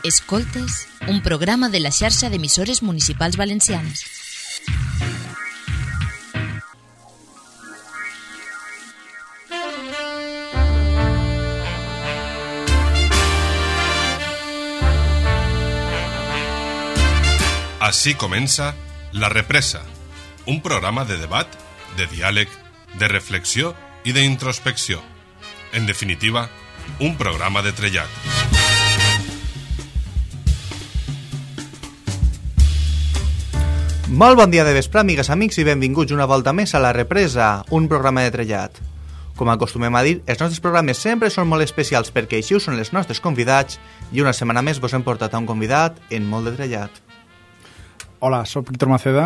Escoltes, un programa de la xarxa d'emissores municipals valencianes. Així comença La Represa, un programa de debat, de diàleg, de reflexió i d'introspecció. En definitiva, un programa de trellat. Molt bon dia de vespre, amigues, amics, i benvinguts una volta més a La Represa, un programa de trellat. Com acostumem a dir, els nostres programes sempre són molt especials perquè així ho són els nostres convidats i una setmana més vos hem portat a un convidat en molt de trellat. Hola, soc Víctor Maceda,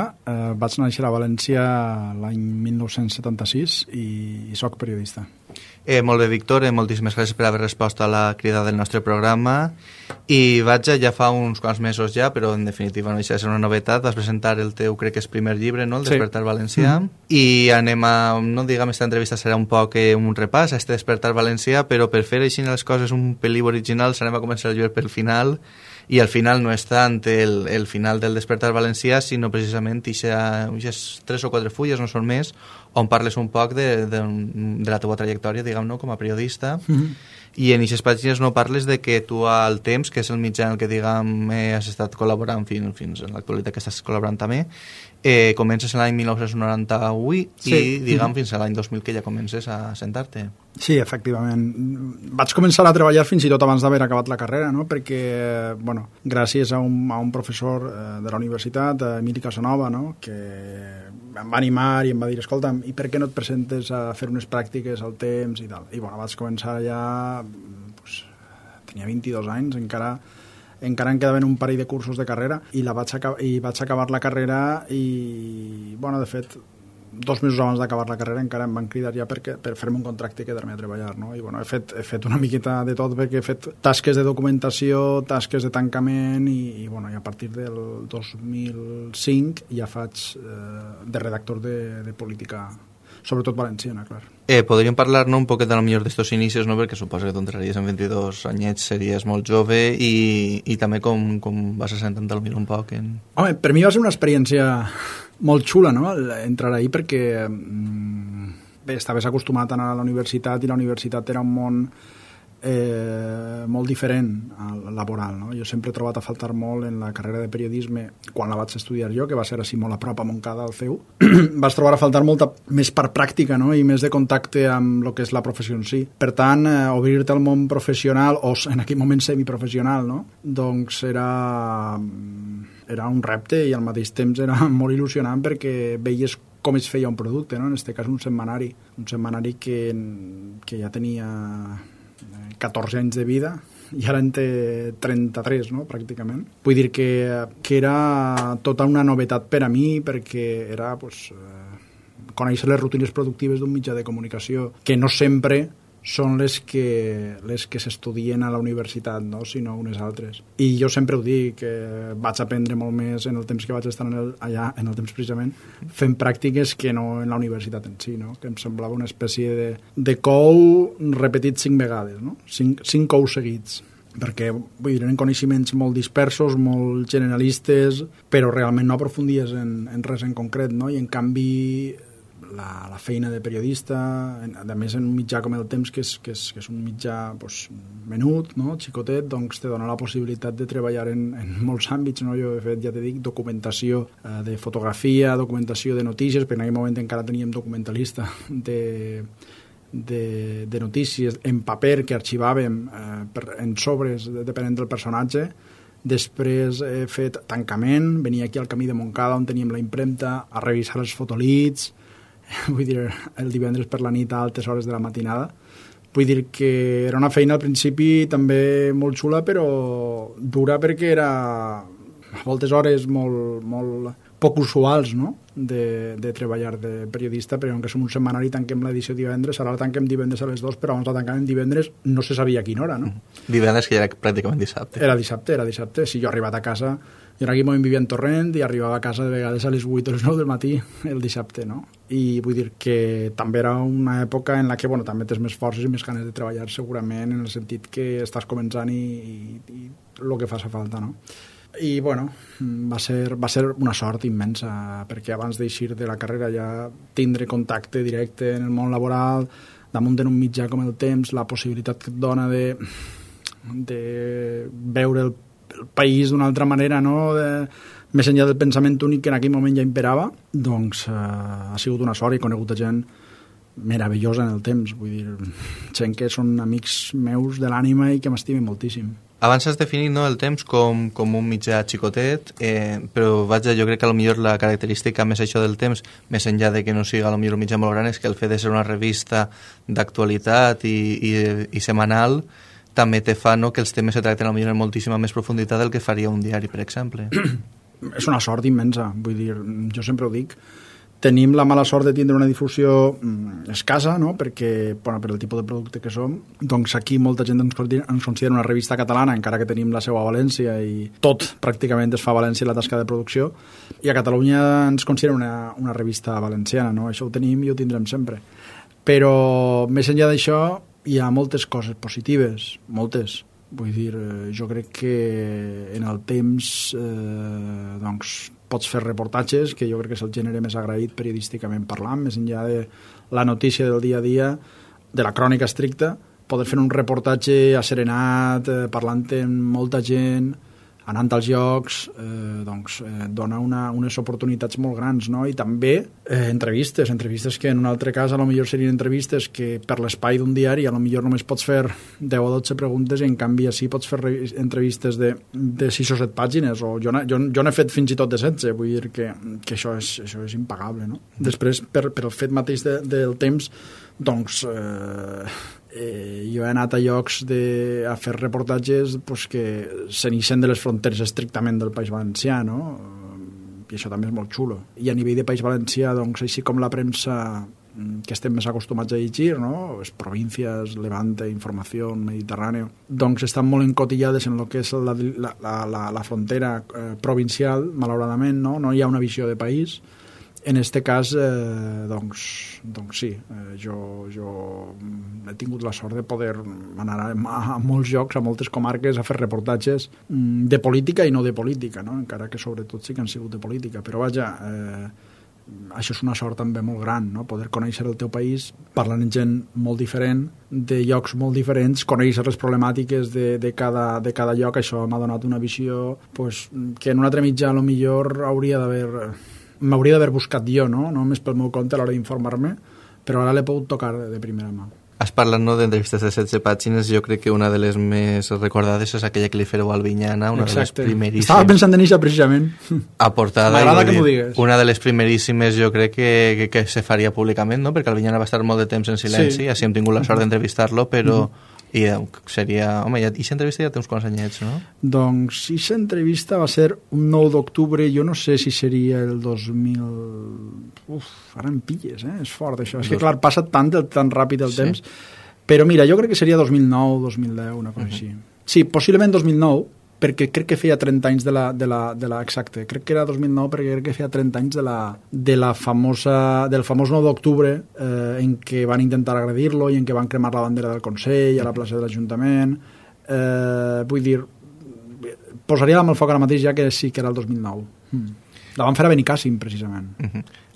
vaig néixer a València l'any 1976 i soc periodista. Molt bé, Víctor, moltíssimes gràcies per haver respost a la crida del nostre programa. I vaig ja fa uns quants mesos ja, però en definitiva no deixa de ser una novetat, vas presentar el teu, crec que és primer llibre, no? El Despertar Valencià. I anem a, no diguem, esta entrevista serà un poc un repàs a este Despertar Valencià, però per fer així les coses un pel·lín originals anem a començar el llibre pel final. I al final no és tant el final del Despertar Valencià, sinó precisament aquestes 3 o 4 fulles, no són més, on parles un poc de la teva trajectòria, diguem-ne, com a periodista. I en aquestes pàgines no parles de que tu al Temps, que és el mitjà en el que, diguem, has estat col·laborant fins en l'actualitat que estàs col·laborant també, comences l'any 1998 i, diguem, fins a l'any 2000 que ja comences a sentar-te. Sí, efectivament. Vaig començar a treballar fins i tot abans d'haver acabat la carrera, no? Perquè, bueno, gràcies a un professor de la universitat, Emili Casanova, no? Que em va animar i em va dir, escolta'm, i per què no et presentes a fer unes pràctiques al Temps i tal? I, bueno, vaig començar ja, pues, tenia 22 anys, encara em quedaven un parell de cursos de carrera i vaig acabar la carrera i, bueno, de fet, 2 mesos abans d'acabar la carrera encara em van cridar ja per fer-me un contracte i quedar-me a treballar, no? I, bueno, he fet una miqueta de tot perquè he fet tasques de documentació, tasques de tancament i bueno, i a partir del 2005 ja faig de redactor de política, sobretot valenciana, clar. Podríem parlar, no, un poquet de lo millor d'estos inicis, no? Perquè suposo que tu entraries en 22 anyets, series molt jove i també com vas assentant a lo millor un poc en... Home, per mi va ser una experiència molt xula, no?, entrar ahí perquè bé, estaves acostumat a anar a la universitat i la universitat era un món molt diferent al laboral, no? Jo sempre he trobat a faltar molt en la carrera de periodisme quan la vaig estudiar jo, que va ser així molt a prop a Montcada, al CEU. Vaig trobar a faltar molta més per pràctica, no? I més de contacte amb el que és la professió en si. Per tant, obrir-te al món professional, o en aquell moment semiprofessional, no? Doncs era un repte i al mateix temps era molt il·lusionant perquè veies com es feia un producte, no? En aquest cas un setmanari que ja tenia 14 anys de vida i ara en té 33, no?, pràcticament. Vull dir que era tota una novetat per a mi perquè era, pues, conèixer les rutines productives d'un mitjà de comunicació que no sempre són les que s'estudien a la universitat, no?, sinó unes altres. I jo sempre ho dic, que vaig aprendre molt més en el temps que vaig estar allà, en el temps precisament, fent pràctiques que no en la universitat en si, no?, que em semblava una espècie de cou repetit 5 vegades, no?, 5 cous seguits, perquè, vull dir, eren coneixements molt dispersos, molt generalistes, però realment no aprofundies en res en concret, no?, i en canvi la feina de periodista, a més en un mitjà com el Temps, que és un mitjà, pues, menut, no?, xicotet, doncs te dona la possibilitat de treballar en molts àmbits, no? Jo he fet, ja te dic, documentació de fotografia, documentació de notícies, perquè en aquell moment encara teníem documentalista de notícies en paper que arxivàvem en sobres, depenent del personatge. Després he fet tancament, venia aquí al camí de Montcada on teníem la impremta a revisar els fotolits, vull dir, el divendres per la nit a altes hores de la matinada. Vull dir que era una feina al principi també molt xula, però dura perquè era a moltes hores molt poc usuals, no?, de treballar de periodista, però que som un setmanari i tanquem l'edició divendres, ara la tanquem divendres a les 2, però abans la tancàvem divendres, no se sabia a quina hora, no? Divendres, que ja era pràcticament dissabte. Era dissabte. Si jo he arribat a casa, jo en aquell moment vivia en Torrent i arribava a casa de vegades a les 8 o les 9 del matí el dissabte, no? I vull dir que també era una època en la que, bueno, també tens més forces i més ganes de treballar, segurament, en el sentit que estàs començant i el que fa falta, no? I, bueno, va ser una sort immensa, perquè abans d'eixir de la carrera ja tindre contacte directe en el món laboral, damunt en un mitjà com el Temps, la possibilitat que et dona de veure el país d'una altra manera, no?, més enllà del pensament únic que en aquell moment ja imperava, doncs ha sigut una sort i he conegut gent meravellosa en el Temps, vull dir, gent que són amics meus de l'ànima i que m'estimen moltíssim. Abans has definit, no, el Temps com un mitjà xicotet, però vaja, jo crec que potser la característica més això del Temps, més enllà de que no siga potser un mitjà molt gran, és que el fet de ser una revista d'actualitat i setmanal també te fa, no, que els temes se tracten potser en moltíssima més profunditat del que faria un diari, per exemple. És una sort immensa, vull dir, jo sempre ho dic. Tenim la mala sort de tindre una difusió escassa, no?, perquè, bueno, per el tipus de producte que som, doncs aquí molta gent ens considera una revista catalana, encara que tenim la seu a València i tot pràcticament es fa a València la tasca de producció, i a Catalunya ens considera una revista valenciana, no? Això ho tenim i ho tindrem sempre. Però més enllà d'això hi ha moltes coses positives, moltes. Vull dir, jo crec que en el Temps doncs pots fer reportatges, que jo crec que és el gènere més agraït periodísticament parlant, més enllà de la notícia del dia a dia, de la crònica estricta, poder fer un reportatge asserenat, parlant amb molta gent, anant als llocs, doncs dona unes oportunitats molt grans, no? I també entrevistes que en un altre cas potser serien entrevistes que per l'espai d'un diari potser només pots fer 10 o 12 preguntes i en canvi així pots fer entrevistes de 6 o 7 pàgines, o jo n'he fet fins i tot de 16, vull dir que això és impagable, no? Després, per el fet mateix del Temps, doncs jo he anat a llocs a fer reportatges pues, que s'inixen de les fronteres estrictament del País Valencià, no? I això també és molt xulo. I a nivell de País Valencià, doncs, així com la premsa que estem més acostumats a llegir, no? Les províncies, Levante, Informació, Mediterrani, doncs estan molt encotillades en el que és la frontera provincial, malauradament, no? No hi ha una visió de país. En este cas, doncs sí, jo he tingut la sort de poder anar a molts llocs, a moltes comarques, a fer reportatges de política i no de política, no? Encara que sobretot sí que han sigut de política. Però vaja, això és una sort també molt gran, no? Poder conèixer el teu país parlant amb gent molt diferent, de llocs molt diferents, conèixer les problemàtiques de cada lloc. Això m'ha donat una visió pues, que en un altre mitjà potser m'hauria d'haver buscat jo, no? Només pel meu compte a l'hora d'informar-me, però ara l'he pogut tocar de primera mà. Has parlat, no, d'entrevistes de 16 pàgines. Jo crec que una de les més recordades és aquella que li fèreu a Albinyana, una Exacte. De les primeríssimes. Estava pensant en això precisament. A portada. M'agrada que m'ho digues. Una de les primeríssimes jo crec que se faria públicament, no? Perquè Albinyana va estar molt de temps en silenci, així hem tingut la sort d'entrevistar-lo, però i seria... Home, aquesta entrevista ja té uns quants anyets, no? Doncs aquesta entrevista va ser un 9 d'octubre, jo no sé si seria el 2000... ara em pilles, és fort això. És que clar, passa tan ràpid el temps, però mira, jo crec que seria 2009, 2010, una cosa així. Sí, possiblement 2009, perquè crec que feia 30 anys exacte, crec que era 2009 perquè crec que feia 30 anys del famós 9 d'octubre en què van intentar agredir-lo i en què van cremar la bandera del Consell a la plaça de l'Ajuntament. Vull dir, posaria la mà al foc ara mateix ja que sí que era el 2009. La van fer a Benicàssim, precisament.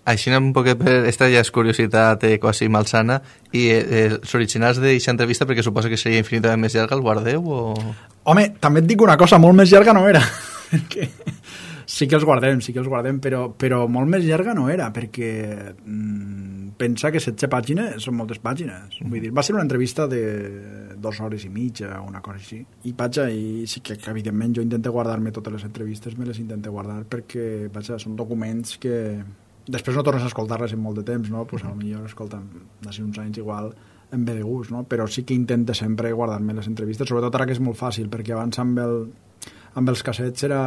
Així un poquet, esta ja és curiositat quasi malsana, i els originals d'aquesta entrevista, perquè suposo que seria infinitament més llarga, el guardeu o...? Home, també et dic una cosa, molt més llarga no era, perquè sí que els guardem, però molt més llarga no era, perquè pensa que 16 pàgines són moltes pàgines. Vull dir, va ser una entrevista de 2 hores i mitja, una cosa així. I sí que evidentment jo intento guardar-me totes les entrevistes, me les intento guardar perquè, són documents que... Després no tornes a escoltar-les en molt de temps, no? Pues potser escolten d'ací uns anys igual em ve de gust, no? Però sí que intento sempre guardar-me les entrevistes, sobretot ara que és molt fàcil, perquè abans amb amb els cassets era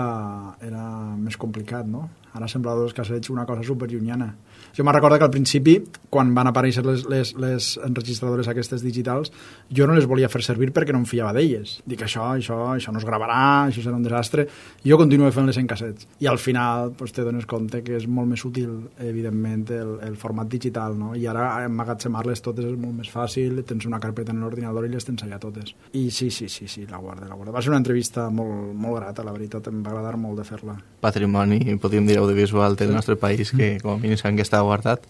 més complicat, no? Ara semblava els cassets una cosa superllunyana. Jo me'n recordo que al principi, quan van aparèixer les enregistradores aquestes digitals, jo no les volia fer servir perquè no em fiava d'elles. Dic, això no es gravarà, això serà un desastre. Jo continuo fent-les en cassets. I al final te dones compte que és molt més útil, evidentment, el format digital, no? I ara emmagatzemar-les totes és molt més fàcil, tens una carpeta en l'ordinador i les tens allà totes. I sí, la guarda. Va ser una entrevista molt, molt grata, la veritat, em va agradar molt de fer-la. Patrimoni, podríem dir, audiovisual del nostre país, que com a mínim sabem que està guardat.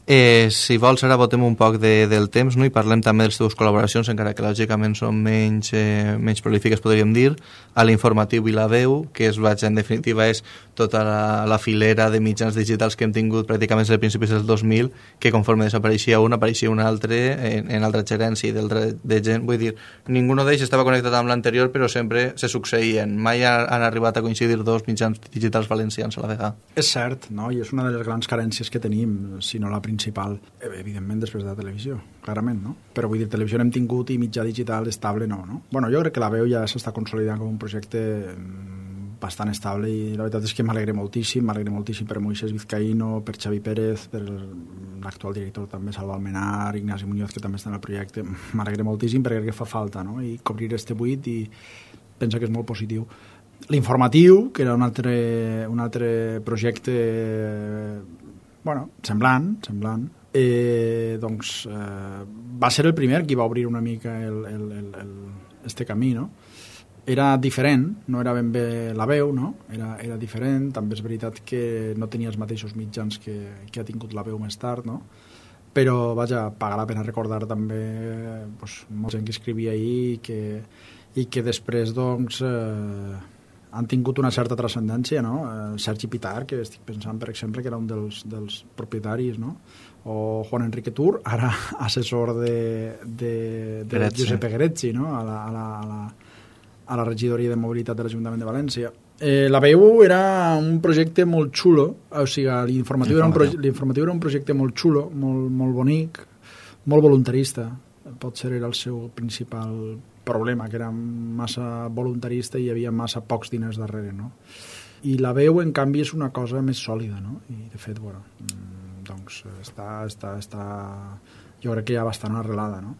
Si vols, ara votem un poc del temps, no? I parlem també de les teves col·laboracions, encara que lògicament són menys prolífiques, podríem dir, a l'Informatiu i la Veu, que en definitiva és tota la filera de mitjans digitals que hem tingut pràcticament des de principis del 2000, que conforme desapareixia un, apareixia un altre en altra gerència de gent. Vull dir, ningú d'ells estava connectat amb l'anterior, però sempre se succeïen. Mai han arribat a coincidir dos mitjans digitals valencians a la vegada. És cert, no? I és una de les grans carències que tenim, si no la principal, evidentment després de la televisió, clarament, no? Però vull dir, televisió n'hem tingut i mitjà digital estable no? Bueno, jo crec que la Veu ja s'està consolidant com un projecte bastant estable i la veritat és que m'alegre moltíssim per Moisés Vizcaíno, per Xavi Pérez, per l'actual director també, Salva Almenar, Ignasi Muñoz, que també està en el projecte. M'alegre moltíssim perquè crec que fa falta, no? I cobrir este buit i pensa que és molt positiu. L'Informatiu, que era un altre projecte semblant, va ser el primer qui va obrir una mica este camí, no? Era diferent, no era ben bé la Veu, no? Era diferent, també és veritat que no tenia els mateixos mitjans que ha tingut la Veu més tard, no? Però, vaja, paga la pena recordar també molta gent que escrivia ahir i que després, han tingut una certa transcendència, no? Sergi Pitar, que estic pensant, per exemple, que era un dels propietaris, no? O Juan Enrique Tur, ara assessor de Giuseppe Grezzi, no? A la regidoria de mobilitat de l'Ajuntament de València. La Veu era un projecte molt xulo, o sigui, l'Informatiu era un projecte molt xulo, molt bonic, molt voluntarista. Potser era el seu principal problema, que era massa voluntarista i hi havia massa pocs diners darrere, no? I la Veu, en canvi, és una cosa més sòlida, no? I, de fet, està jo crec que ja bastant arrelada, no?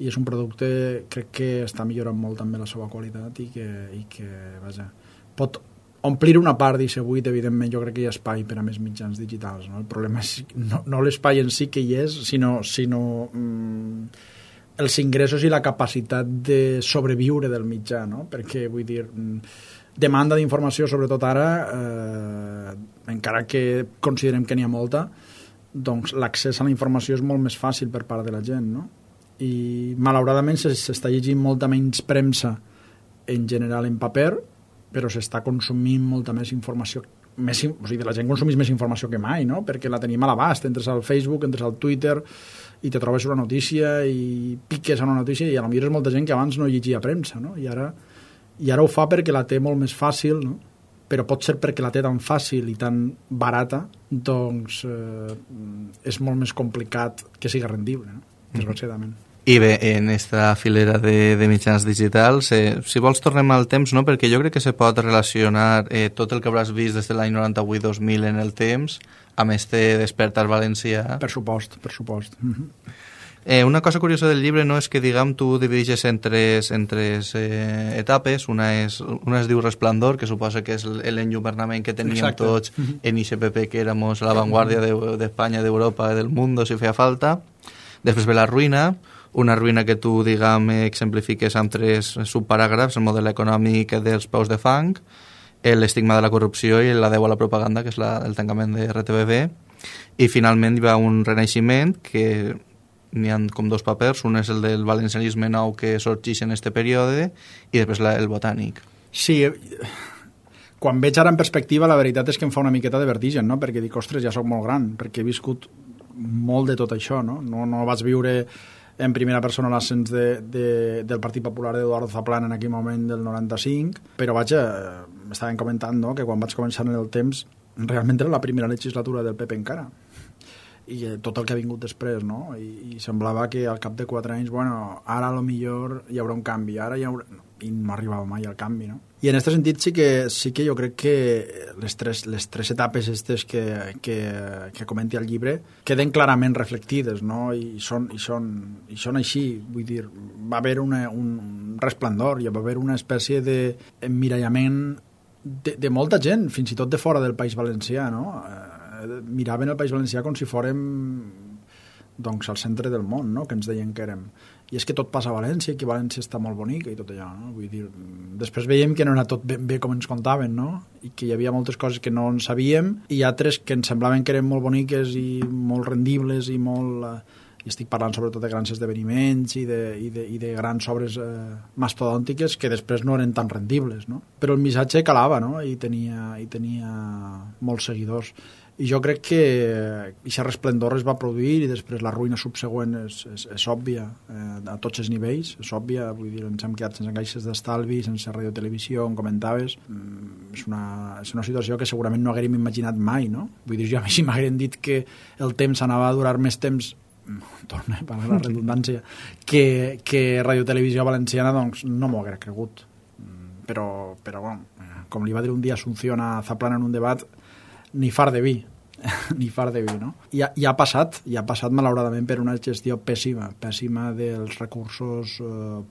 I és un producte, crec que està millorant molt també la seva qualitat i que vaja, pot omplir una part d'aquest buit. Evidentment, jo crec que hi ha espai per a més mitjans digitals, no? El problema és no l'espai en si que hi és, sinó els ingressos i la capacitat de sobreviure del mitjà, no? Perquè, vull dir, demanda d'informació, sobretot ara, encara que considerem que n'hi ha molta, doncs l'accés a la informació és molt més fàcil per part de la gent, no? I malauradament s'està llegint molta menys premsa en general en paper, però s'està consumint molta més informació, o sigui, la gent consumeix més informació que mai, no? Perquè la tenim a l'abast, entres al Facebook, entres al Twitter i te trobes una notícia i piques a una notícia i potser és molta gent que abans no llegia premsa, no? I ara ho fa perquè la té molt més fàcil, no? Però pot ser perquè la té tan fàcil i tan barata, doncs és molt més complicat que sigui rendible, no? Desgraciadament. I bé, en esta filera de mitjans digitals, si vols tornem al temps, no? Perquè jo crec que se pot relacionar tot el que hauràs vist des de l'any 98-2000 en el temps amb este Despertar Valencià. Per supost. Una cosa curiosa del llibre, no, és que, diguem, tu divideixes en tres etapes. Una es diu Resplendor, que suposa que és l'enlluernament que teníem tots en ICPP, que éramos a la vanguardia d'Espanya, d'Europa, del mundo, si feia falta. Després ve la ruïna, una ruïna que tu, diguem, exemplifiques amb 3 subparàgrafs: el model econòmic dels peus de fang, l'estigma de la corrupció i l'adeu a la propaganda, que és el tancament de RTBB. I finalment hi va un renaixement, que n'hi ha com 2 papers. Un és el del valencianisme nou que sorgeix en este període, i després el botànic. Sí, quan veig ara en perspectiva, la veritat és que em fa una miqueta de vertigen, no? Perquè dic, ostres, ja soc molt gran, perquè he viscut molt de tot això, no? No vaig viure en primera persona l'ascens del Partit Popular d'Eduardo Zaplana en aquell moment del 95, però vaja, m'estaven comentant, no?, que quan vaig començar en el temps realment era la primera legislatura del PP encara, i tot el que ha vingut després, no? I semblava que al cap de 4 anys, bueno, ara a lo millor hi haurà un canvi, ara hi haurà... i no arribava mai al canvi, no? I en aquest sentit sí que jo crec que les tres etapes aquestes que comenti el llibre queden clarament reflectides, no? I són així, vull dir, va haver un resplendor, hi va haver una espècie d'emmirallament de molta gent, fins i tot de fora del País Valencià, no? Miraven el País Valencià com si fórem doncs al centre del món, no? Que ens deien que érem. I és que tot passa a València, que València està molt bonica i tot allò, no? Vull dir, després veiem que no era tot ben bé com ens contaven, no? I que hi havia moltes coses que no en sabíem i altres que ens semblaven que eren molt boniques i molt rendibles i molt... I estic parlant sobretot de grans esdeveniments i de grans obres mastodòntiques que després no eren tan rendibles, no? Però el missatge calava, no? I tenia molts seguidors. I jo crec que aquest resplendor es va produir i després la ruïna subsegüent és òbvia a tots els nivells, és òbvia, vull dir, ens hem quedat sense caixes d'estalvi, sense radiotelevisió, com comentaves. És una situació que segurament no haguérem imaginat mai, no? Vull dir, jo si m'hagueren dit que el temps anava a durar més temps, torna a la redundància, que radiotelevisió valenciana, doncs no m'ho haguera cregut. Però bueno, com li va dir un dia Asunción a Zaplana en un debat, ni far de vi, no? I ha passat malauradament per una gestió pèssima dels recursos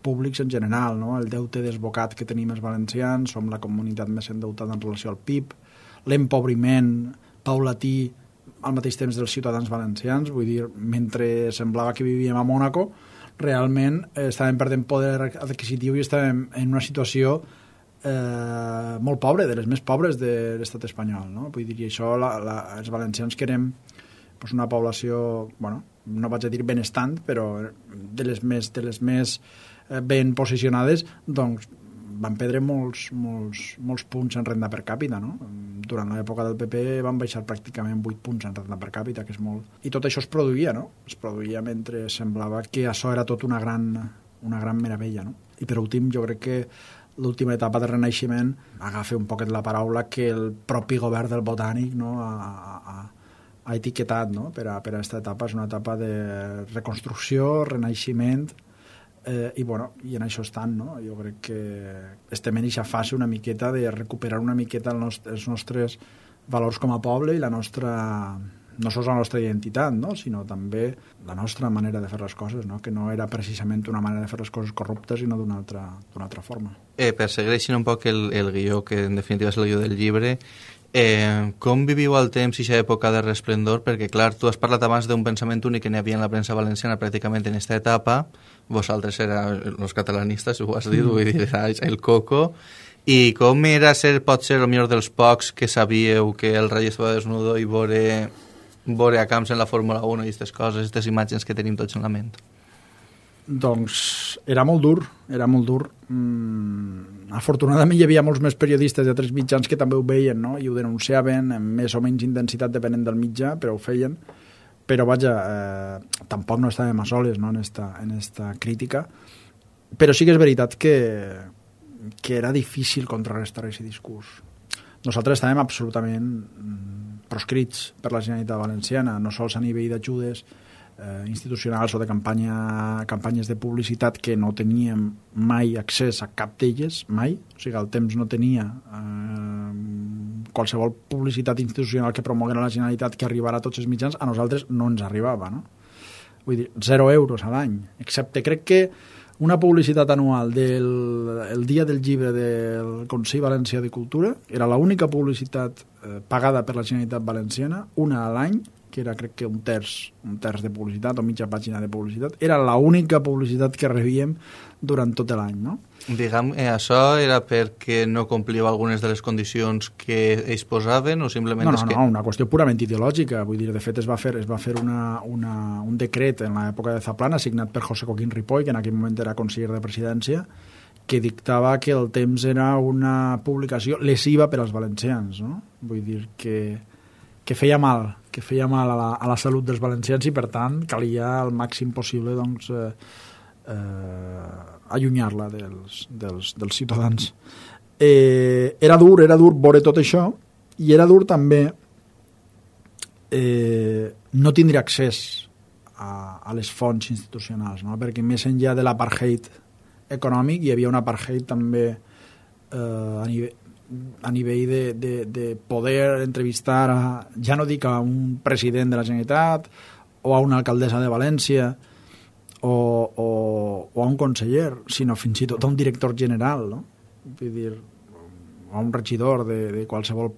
públics en general, no? El deute desbocat que tenim els valencians, som la comunitat més endeutada en relació al PIB, l'empobriment paulatí al mateix temps dels ciutadans valencians, vull dir, mentre semblava que vivíem a Mònaco, realment estàvem perdent poder adquisitiu i estàvem en una situació molt pobre, de les més pobres de l'estat espanyol, no? Vull dir, i això els valencians que érem una població, bueno, no vaig a dir benestant, però de les més ben posicionades, doncs van perdre molts punts en renda per càpita, no? Durant l'època del PP van baixar pràcticament 8 punts en renda per càpita, que és molt... I tot això es produïa, no? Es produïa mentre semblava que això era tot una gran meravella, no? I per últim, jo crec que l'última etapa de renaixement agafa un poquet la paraula que el propi govern del Botànic, no, ha etiquetat, no? Per a aquesta etapa. És una etapa de reconstrucció, renaixement, i en això estan, no? Jo crec que estem en aquesta fase una miqueta de recuperar una miqueta els nostres valors com a poble i la nostra, no sols la nostra identitat, no? Sinó també la nostra manera de fer les coses, no? Que no era precisament una manera de fer les coses corruptes, sinó d'una altra forma. Persegueixin un poc el guió, que en definitiva és el guió del llibre. Com viviu el temps i aquesta època de resplendor? Perquè, clar, tu has parlat abans d'un pensament únic que n'hi havia en la premsa valenciana pràcticament en aquesta etapa. Vosaltres éreu els catalanistes, ho has dit, vull dir, el coco. I com era pot ser el millor dels pocs que sabíeu que el rei estava desnudo i veure a camps en la Fórmula 1 i aquestes coses, aquestes imatges que tenim tots en la ment? Doncs era molt dur. Afortunadament hi havia molts més periodistes d'altres mitjans que també ho veien, no? I ho denunciaven amb més o menys intensitat depenent del mitjà, però ho feien. Però vaja, tampoc no estàvem a soles, no? en esta crítica. Però sí que és veritat que era difícil contrarrestar aquest discurs. Nosaltres estàvem absolutament proscrits per la Generalitat Valenciana, no sols a nivell d'ajudes institucionals o de campanyes de publicitat, que no teníem mai accés a cap d'elles, mai. O sigui, el temps no tenia qualsevol publicitat institucional que promoguera la Generalitat que arribara a tots els mitjans, a nosaltres no ens arribava, no? Vull dir, 0 euros a l'any, excepte crec que una publicitat anual del dia del llibre del Consell Valencià de Cultura era l'única publicitat pagada per la Generalitat Valenciana, una a l'any, que era crec que un terç de publicitat o mitja pàgina de publicitat, era l'única publicitat que rebíem durant tot l'any, no? Diguem, això era perquè no compliu algunes de les condicions que ells posaven o simplement No, una qüestió purament ideològica. Vull dir, de fet es va fer un decret en l'època de Zaplana signat per José Coquín Ripoll, que en aquell moment era conseller de presidència, que dictava que el temps era una publicació lesiva per als valencians, no? Vull dir que feia mal a la salut dels valencians i per tant calia al màxim possible doncs allunyar-la dels ciutadans. Era dur veure tot això i era dur també no tindre accés a les fonts institucionals, no? Perquè més enllà de l'apartheid econòmic, hi havia un apartheid també a nivell de poder entrevistar ja no dic a un president de la Generalitat o a una alcaldessa de València o a un conseller, sinó fins i tot a un director general, no? Vull dir, a un regidor de qualsevol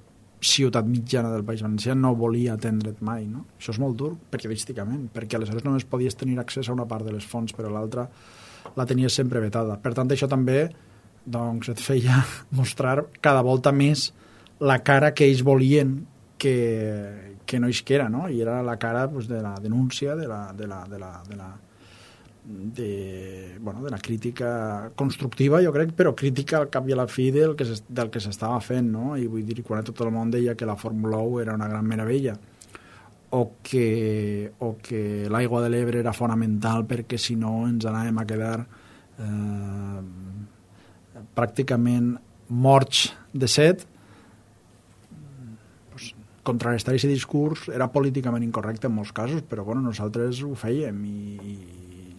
ciutat mitjana del País Valencià no volia atendre't mai, no? Això és molt dur periodísticament, perquè aleshores només podies tenir accés a una part de les fonts, però l'altra la tenies sempre vetada. Per tant, això també doncs, et feia mostrar cada volta més la cara que ells volien que no isquera, no? I era la cara pues, de la denúncia, de la crítica constructiva, jo crec, però crítica al cap i a la fi del que s'estava fent, no? I vull dir, quan tot el món deia que la Fórmula 1 era una gran meravella o que l'aigua de l'Ebre era fonamental perquè si no ens anàvem a quedar pràcticament morts de set, contrarrestar aquest discurs era políticament incorrecte en molts casos, però bueno, nosaltres ho fèiem i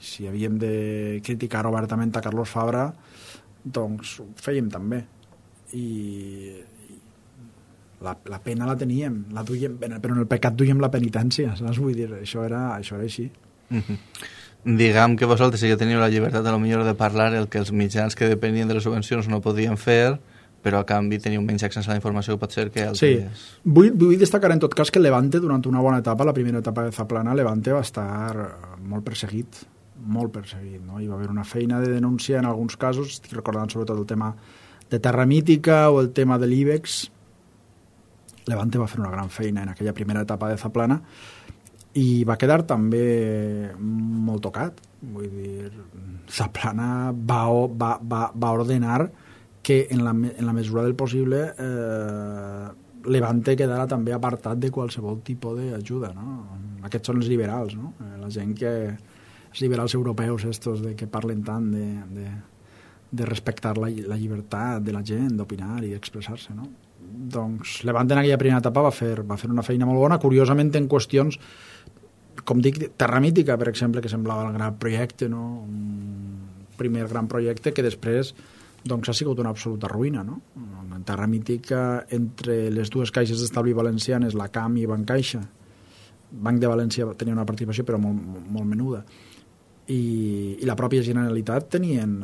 si havíem de criticar obertament a Carlos Fabra, doncs ho fèiem també. I la pena la teníem, la duíem, però en el pecat duíem la penitència, saps? Vull dir, això era així. Diguem que vosaltres sí que teniu la llibertat a lo millor de parlar el que els mitjans que depenien de les subvencions no podien fer, però a canvi teniu menys accés a la informació que pot ser que altres... Sí, vull destacar en tot cas que Levante durant una bona etapa, la primera etapa de Zaplana, Levante va estar molt perseguit, no? Hi va haver una feina de denúncia en alguns casos, estic recordant sobretot el tema de Terra Mítica o el tema de l'IBEX. Levante va fer una gran feina en aquella primera etapa de Zaplana i va quedar també molt tocat. Vull dir, Zaplana va ordenar que en la mesura del possible Levante quedara també apartat de qualsevol tipus d'ajuda, no? Aquests són els liberals, no? La gent els liberals europeus estos que parlen tant de respectar la llibertat de la gent, d'opinar i d'expressar-se, no? Doncs Levante en aquella primera etapa va fer una feina molt bona, curiosament en qüestions, com dic, Terra Mítica, per exemple, que semblava el gran projecte, no? Un primer gran projecte que després doncs ha sigut una absoluta ruïna, no? En Terra Mítica, entre les dues caixes d'estalvi valencianes, la CAM i Bancaixa, Banc de València tenia una participació però molt menuda, i la pròpia Generalitat tenien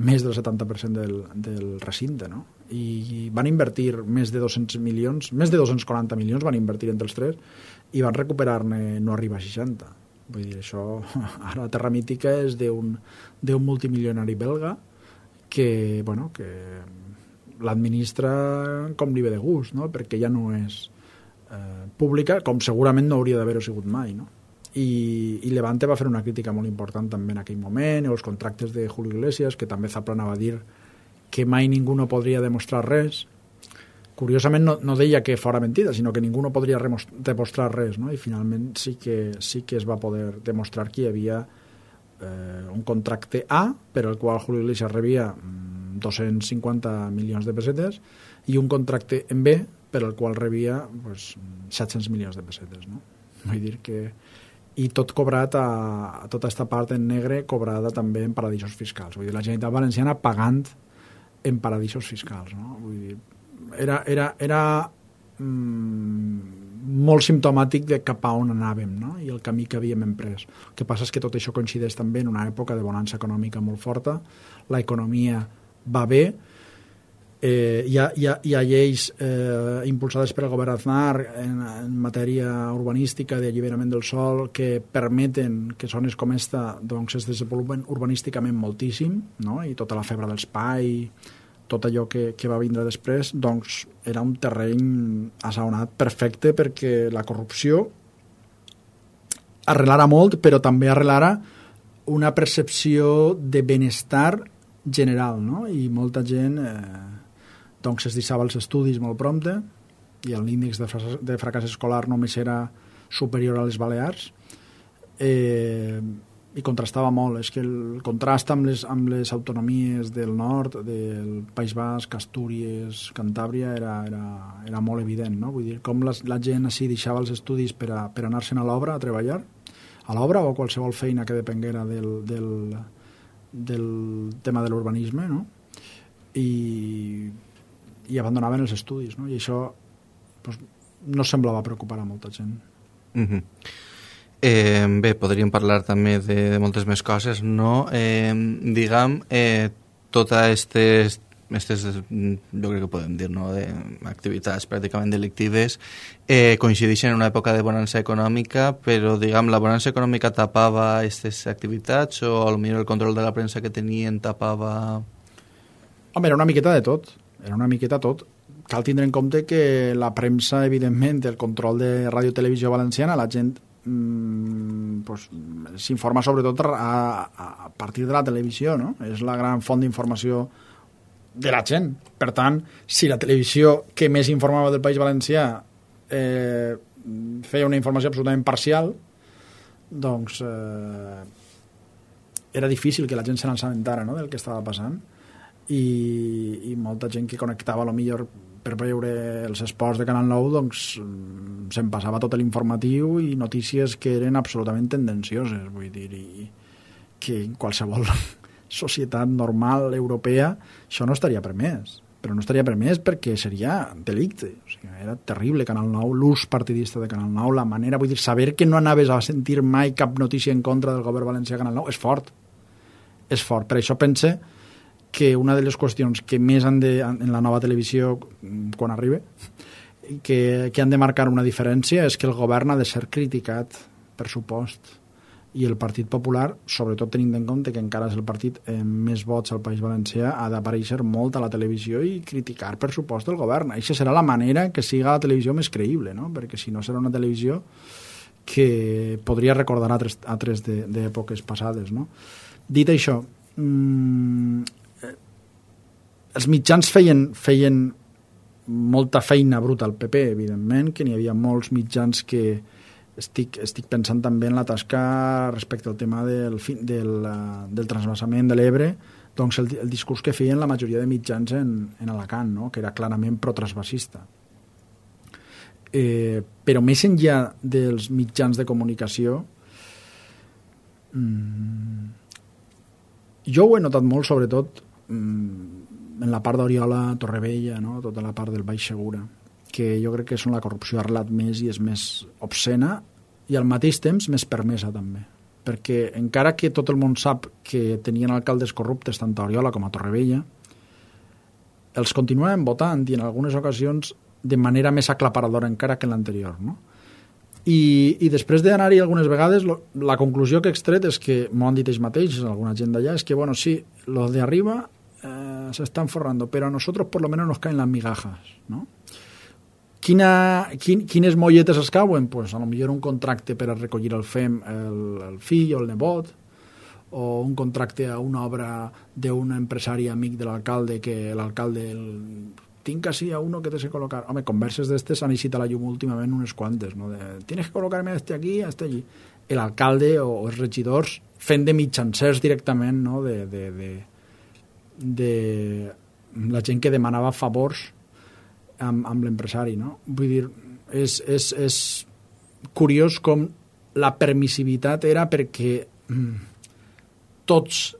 més del 70% del recinte, no? I van invertir més de 200 milions, més de 240 milions van invertir entre els tres i van recuperar-ne no arriba a 60. Vull dir, això ara Terra Mítica és d'un multimilionari belga que l'administra com li ve de gust, no? Perquè ja no és pública, com segurament no hauria d'haver-ho sigut mai, no? I Levante va fer una crítica molt important també en aquell moment, els contractes de Julio Iglesias, que també Zaplana va dir que mai ningú no podria demostrar res. Curiosament no deia que fora mentida, sinó que ningú no podria demostrar res, no? I finalment sí que es va poder demostrar que hi havia un contracte A per al qual Julio Iglesias rebia 250 milions de pessetes i un contracte en B per al qual rebia 700 milions de pessetes, no? Vull dir que... I tot cobrat a tota aquesta part en negre cobrada també en paradisos fiscals. Vull dir, la Generalitat Valenciana pagant en paradisos fiscals, no? Vull dir, era molt simptomàtic de cap a on anàvem, no? I el camí que havíem emprès. El que passa és que tot això coincideix també en una època de bonança econòmica molt forta, l'economia va bé, hi ha lleis impulsades per el govern Aznar en matèria urbanística d'alliberament del sòl que permeten que zones com esta doncs, es desenvolupen urbanísticament moltíssim, no? I tota la febre dels PAI, tot allò que va vindre després, doncs era un terreny assaonat perfecte perquè la corrupció arrelara molt, però també arrelara una percepció de benestar general, no? I molta gent doncs es deixava els estudis molt prompte i l'índex de fracàs escolar només era superior a les Balears i contrastava molt. És que el contrast amb les autonomies del nord, del País Basc, Astúries, Cantàbria, era molt evident, no? Vull dir, com la gent així deixava els estudis per anar-se'n a l'obra a treballar, a l'obra o a qualsevol feina que depenguera del tema de l'urbanisme, no? I abandonaven els estudis, no? I això pues, no semblava preocupar a molta gent. Bé, podríem parlar també de moltes més coses, no? Diguem, totes aquestes, jo crec que podem dir, no?, activitats pràcticament delictives coincideixen en una època de bonança econòmica, però, diguem, la bonança econòmica tapava aquestes activitats o potser el control de la premsa que tenien tapava... Home, era una miqueta de tot. Cal tindre en compte que la premsa, evidentment, el control de Ràdio-Televisió Valenciana, la gent pues, s'informa sobretot a partir de la televisió, no? És la gran font d'informació de la gent. Per tant, si la televisió que més informava del País Valencià feia una informació absolutament parcial, doncs era difícil que la gent se n'assabentara, no?, del que estava passant. I molta gent que connectava a lo millor per veure els esports de Canal 9 doncs se'n passava tot l'informatiu i notícies que eren absolutament tendencioses, vull dir, i que en qualsevol societat normal europea això no estaria permès, però no estaria permès perquè seria delicte, o sigui, era terrible Canal 9, l'ús partidista de Canal 9, la manera, vull dir, saber que no anaves a sentir mai cap notícia en contra del govern valencià a Canal 9 és fort, per això pense que una de les qüestions que més han de, en la nova televisió, quan arribi, que han de marcar una diferència és que el govern ha de ser criticat, per supost, i el Partit Popular, sobretot tenint en compte que encara és el partit amb més vots al País Valencià, ha d'aparèixer molt a la televisió i criticar, per supost, el govern. Això serà la manera que siga la televisió més creïble, no? Perquè si no serà una televisió que podria recordar altres d'èpoques passades, no? Dit això, els mitjans feien molta feina bruta al PP, evidentment, que n'hi havia molts mitjans que estic pensant també en la tasca respecte al tema del transvasament de l'Ebre, doncs el discurs que feien la majoria de mitjans en Alacant, no?, que era clarament pro-transvasista. Però més enllà dels mitjans de comunicació, jo ho he notat molt, sobretot en la part d'Oriola, Torrevella, no?, tota la part del Baix Segura, que jo crec que és on la corrupció ha arrelat més i és més obscena i al mateix temps més permesa també, perquè encara que tot el món sap que tenien alcaldes corruptes tant a Oriola com a Torrevella, els continuaven votant i en algunes ocasions de manera més aclaparadora encara que l'anterior, no? I després d'anar-hi algunes vegades, la conclusió que he extret és que, m'ho han dit ells mateixos, alguna gent d'allà, és que, bueno, sí, los de arriba se están forrando, pero a nosotros por lo menos nos caen las migajas, ¿no? Quines molletes es cauen? Pues a lo millor un contracte per a recollir el FEM el fill o el nebot, o un contracte a una obra d'un empresari amic de l'alcalde que l'alcalde tinc así a uno que te sé colocar. Home, converses d'estes han eixit a la llum últimament unes quantes, no? Tienes que colocarme a este aquí, a este allí. L'alcalde o els regidors fent de mitjancers directament, no?, de la gent que demanava favors amb l'empresari, no? Vull dir, és curiós com la permissivitat era perquè tots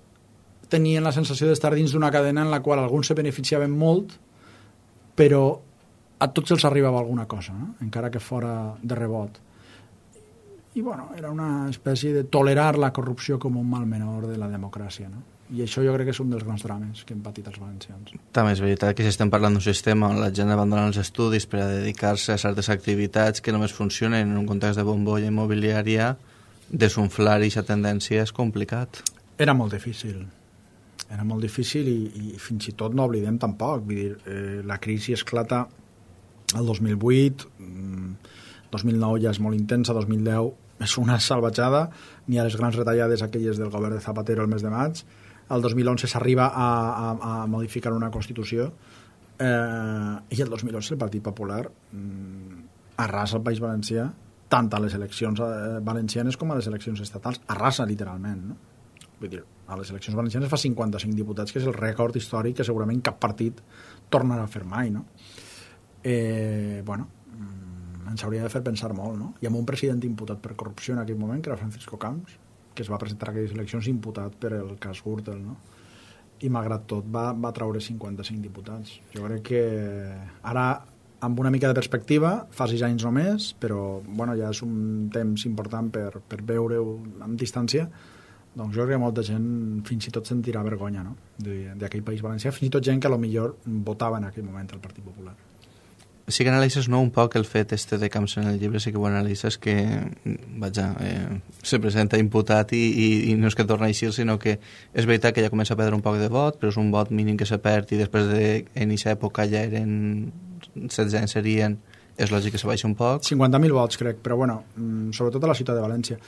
tenien la sensació d'estar dins d'una cadena en la qual alguns se beneficiaven molt, però a tots els arribava alguna cosa, no?, encara que fora de rebot. I, bueno, era una espècie de tolerar la corrupció com un mal menor de la democràcia, no? I això jo crec que és un dels grans drames que han patit els valencians. També és veritat que si estem parlant d'un sistema on la gent abandona els estudis per a dedicar-se a certes activitats que només funcionen en un context de bombolla immobiliària, desunflar aquesta tendència és complicat. Era molt difícil i fins i tot no oblidem tampoc. Vull dir, la crisi esclata el 2008, 2009 ja és molt intensa, 2010 és una salvatjada, n'hi ha les grans retallades aquelles del govern de Zapatero el mes de maig, el 2011 s'arriba a modificar una Constitució i el 2011 el Partit Popular arrasa el País Valencià tant a les eleccions valencianes com a les eleccions estatals, arrasa literalment, no? Vull dir, a les eleccions valencianes fa 55 diputats, que és el rècord històric que segurament cap partit tornarà a fer mai, no? Bueno, ens hauria de fer pensar molt, no? Hi ha un president imputat per corrupció en aquell moment, que era Francisco Camps, que es va presentar a aquelles eleccions imputat per el cas Gürtel, no? I malgrat tot va traure 55 diputats. Jo crec que ara, amb una mica de perspectiva, fa 6 anys només, però bueno, ja és un temps important per veure-ho amb distància, doncs jo crec que molta gent fins i tot sentirà vergonya, no? D'aquell País Valencià, fins i tot gent que potser votava en aquell moment el Partit Popular. Sí que analitzes, no, un poc el fet de Camps en el llibre, sí que ho analitzes, que se presenta imputat i no és que torna a eixir, sinó que és veritat que ja comença a perdre un poc de vot, però és un vot mínim que se perd i després en aquesta època ja eren 16 anys serien, és lògic que se baixa un poc. 50.000 vots, crec, però bueno, sobretot a la ciutat de València,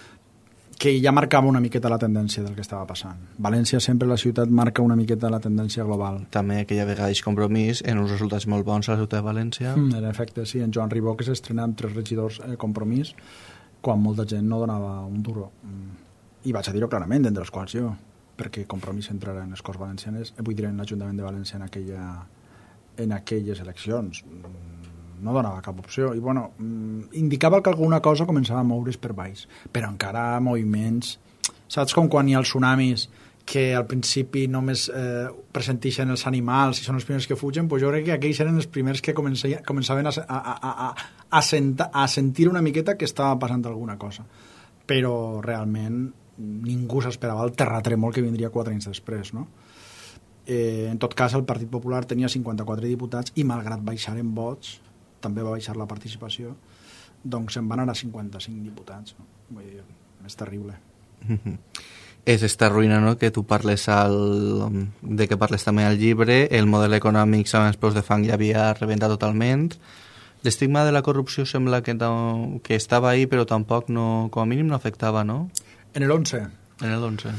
que ja marcava una miqueta la tendència del que estava passant. València sempre la ciutat marca una miqueta la tendència global. També aquella vegada és Compromís en uns resultats molt bons a la ciutat de València. En efecte, sí, en Joan Ribó, que s'estrena amb 3 regidors Compromís, quan molta gent no donava un duro. I vaig a dir-ho clarament, d'entre els quals jo, perquè Compromís entrarà en les Corts Valencianes, vull dir, en l'Ajuntament de València en aquelles eleccions. No donava cap opció i bueno, indicava que alguna cosa començava a moure's per baix, però encara moviments, saps com quan hi ha els tsunamis que al principi només presenteixen els animals i són els primers que fugen, doncs jo crec que aquells eren els primers que començaven a sentir una miqueta que estava passant alguna cosa, però realment ningú s'esperava el terratrèmol que vindria 4 anys després, no? En tot cas el Partit Popular tenia 54 diputats i malgrat baixar en vots també va baixar la participació, doncs se'n van anar a 55 diputats. No? Vull dir, és terrible. És esta ruïna, no?, que tu parles de que parles també al llibre, el model econòmic amb els peus de fang ja havia rebentat totalment. L'estigma de la corrupció sembla que estava ahí, però tampoc no, com a mínim no afectava, no? En el 11. En el 11.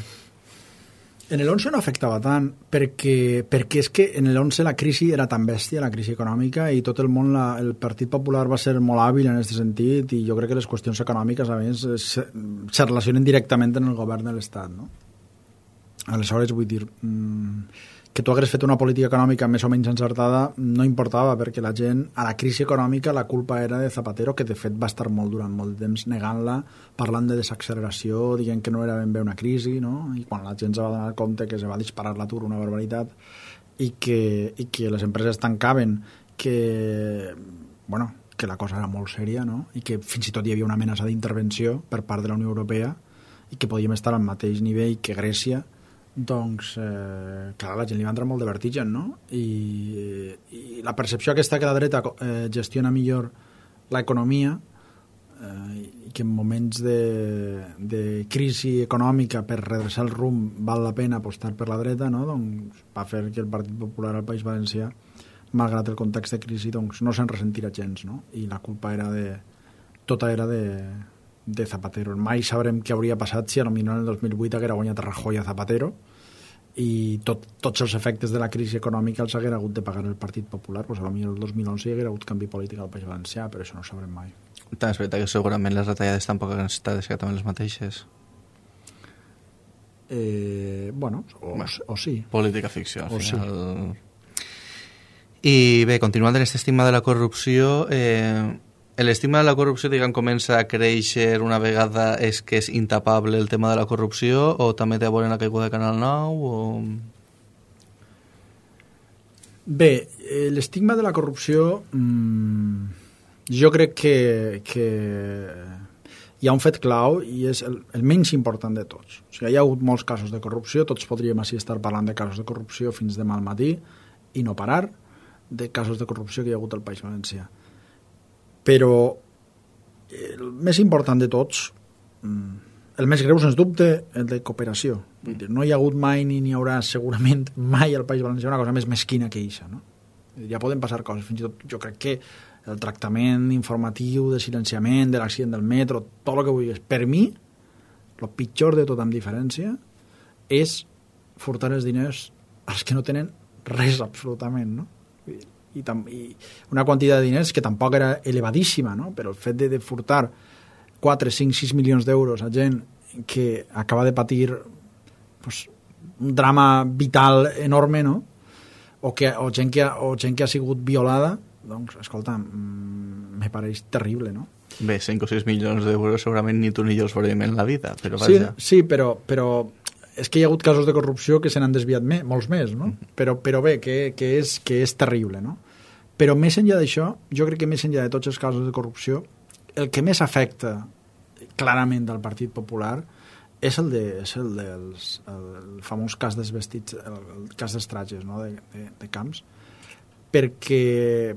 En el 11 no afectava tant, perquè és que en el 11 la crisi era tan bèstia, la crisi econòmica, i tot el món, el Partit Popular va ser molt hàbil en aquest sentit, i jo crec que les qüestions econòmiques, a més, se relacionen directament en el govern de l'Estat, no? Aleshores, vull dir, que tu hagués fet una política econòmica més o menys encertada no importava, perquè la gent, a la crisi econòmica, la culpa era de Zapatero, que de fet va estar durant molt de temps negant-la, parlant de desacceleració, dient que no era ben bé una crisi, no? I quan la gent se va donar compte que se va disparar l'atur, una barbaritat, i que les empreses tancaven, que la cosa era molt sèria, no? I que fins i tot hi havia una amenaça d'intervenció per part de la Unió Europea i que podíem estar al mateix nivell que Grècia, doncs, clar, la gent li va entrar molt de vertigen, no? I la percepció aquesta que la dreta gestiona millor l'economia i que en moments de crisi econòmica per redreçar el rumb val la pena apostar per la dreta, no? Doncs va fer que el Partit Popular al País Valencià, malgrat el context de crisi, doncs no se'n ressentirà gens, no? I la culpa era tota era de Zapatero. Mai sabrem què hauria passat si potser en el 2008 haguera guanyat Rajoy a Zapatero i tots els efectes de la crisi econòmica els haguera hagut de pagar el Partit Popular, doncs potser el 2011 hi haguera hagut canvi polític al País Valencià, però això no ho sabrem mai. També és veritat que segurament les retallades tampoc han estat exactament les mateixes. O sí. Política ficció, al final. Sí. I bé, continuant en aquest estigma de la corrupció, l'estigma de la corrupció, diguem, comença a créixer una vegada és que és intapable el tema de la corrupció, o també té a veure en la caiguda de Canal 9, o... Bé, l'estigma de la corrupció jo crec que hi ha un fet clau i és el menys important de tots. O sigui, hi ha hagut molts casos de corrupció, tots podríem així estar parlant de casos de corrupció fins demà al matí i no parar de casos de corrupció que hi ha hagut al País Valencià. Però el més important de tots, el més greu, sens dubte, el de cooperació. No hi ha hagut mai ni n'hi haurà segurament mai al País Valencià una cosa més mesquina que això, no? Ja poden passar coses, fins i tot jo crec que el tractament informatiu de silenciament de l'accident del metro, tot el que vulguis, per mi el pitjor de tot amb diferència és furtar els diners als que no tenen res absolutament, no? I una quantitat de diners que tampoc era elevadíssima, no? Però el fet de furtar 4, 5, 6 milions d'euros a gent que acaba de patir pues, un drama vital enorme, no? O gent que ha sigut violada, doncs, escolta, me pareix terrible, no? Bé, 5 o 6 milions d'euros segurament ni tu ni jo els veurem en la vida, però vaja. Sí, però és que hi ha hagut casos de corrupció que se n'han desviat molts més, no? Però bé, que és terrible, no? Però més enllà d'això, jo crec que més enllà de tots els casos de corrupció, el que més afecta clarament del Partit Popular és el famós cas dels vestits, el cas dels trajes, no? de Camps, perquè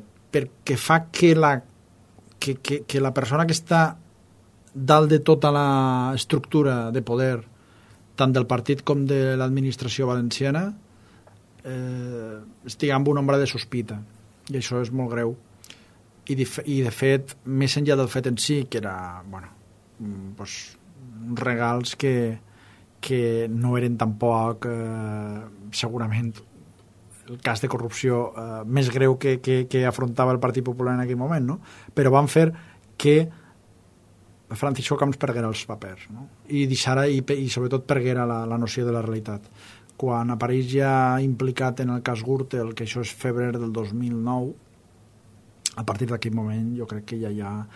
fa que la persona que està dalt de tota la estructura de poder, tant del partit com de l'administració valenciana, estigui amb una ombra de sospita, i això és molt greu. I de fet, més enllà del fet en si, que era, doncs, uns regals que no eren tampoc segurament el cas de corrupció més greu que afrontava el Partit Popular en aquell moment, no? Però van fer que Francisco Camps perguera els papers, no? I sobretot perguera la noció de la realitat. Quan apareix ja implicat en el cas Gürtel, que això és febrer del 2009, a partir d'aquell moment jo crec que ja hi ha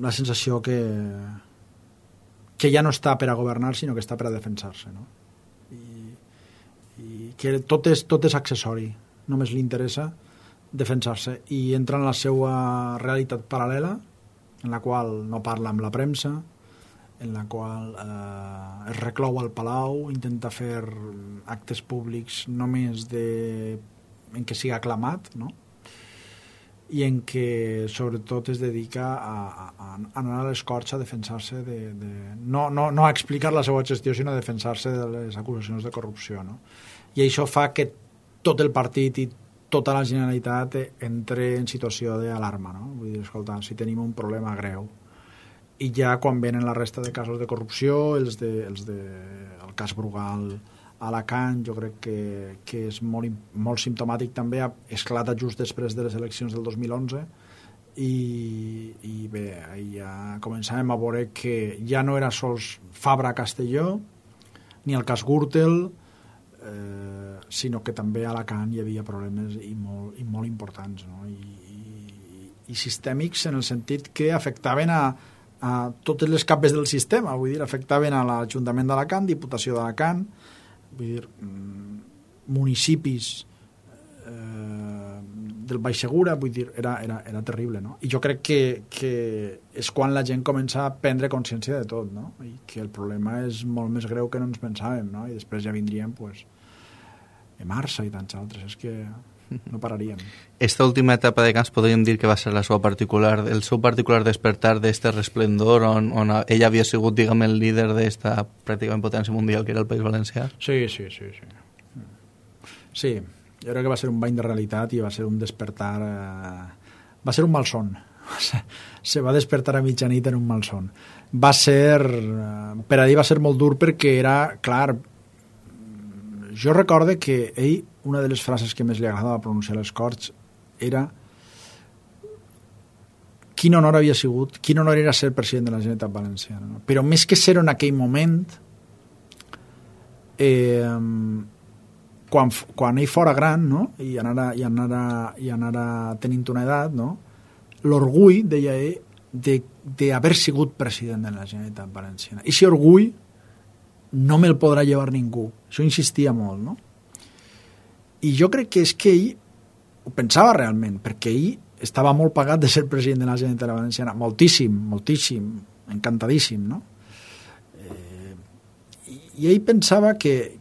la sensació que ja no està per a governar, sinó que està per a defensar-se, no? I que tot és accessori, només li interessa defensar-se, i entra en la seva realitat paral·lela, en la qual no parla amb la premsa, en la qual es reclou al Palau, intenta fer actes públics només en què siga aclamat, no? I en què sobretot es dedica a anar a l'escorxa, a defensar-se no a explicar la seva gestió, sinó a defensar-se de les acusacions de corrupció, no? I això fa que tot el partit i tota la Generalitat entre en situació d'alarma, no? Vull dir, escolta, si tenim un problema greu. I ja quan venen la resta de casos de corrupció, el cas Brugal a Alacant, jo crec que és molt simptomàtic també, esclata just després de les eleccions del 2011, i bé, ja començàvem a veure que ja no era sols Fabra Castelló, ni el cas Gürtel, sinó que també a Alacant hi havia problemes i molt importants, no? I sistèmics en el sentit que afectaven a totes les capes del sistema, vull dir, afectaven a l'Ajuntament d'Alacant, Diputació d'Alacant, vull dir, municipis del Baix Segura, vull dir, era terrible, no? I jo crec que és quan la gent comença a prendre consciència de tot, no? I que el problema és molt més greu que no ens pensàvem, no? I després ja vindrien, pues, Emarsa i tants altres, és que no pararíem. Esta última etapa de Camps podríem dir que va ser el seu particular despertar d'este resplendor on ell havia sigut, diguem, el líder d'esta pràcticament potència mundial que era el País Valencià? Sí. Sí, jo crec que va ser un bany de realitat i va ser un despertar... va ser un malson. Se va despertar a mitjanit en un malson. Va ser... per a ell va ser molt dur perquè era, clar... Jo recordo que ell, una de les frases que més li agradava pronunciar a les Corts era quin honor havia sigut, quin honor era ser president de la Generalitat Valenciana, no? Però més que ser en aquell moment, quan ell fora gran, no? i anara tenint una edat, no? L'orgull, deia ell, d'haver sigut president de la Generalitat Valenciana. I si orgull no me'l podrà llevar ningú. Això insistia molt, no? I jo crec que és que ell ho pensava realment, perquè ell estava molt pagat de ser president de la Generalitat Valenciana. Moltíssim, encantadíssim, no? I ell pensava que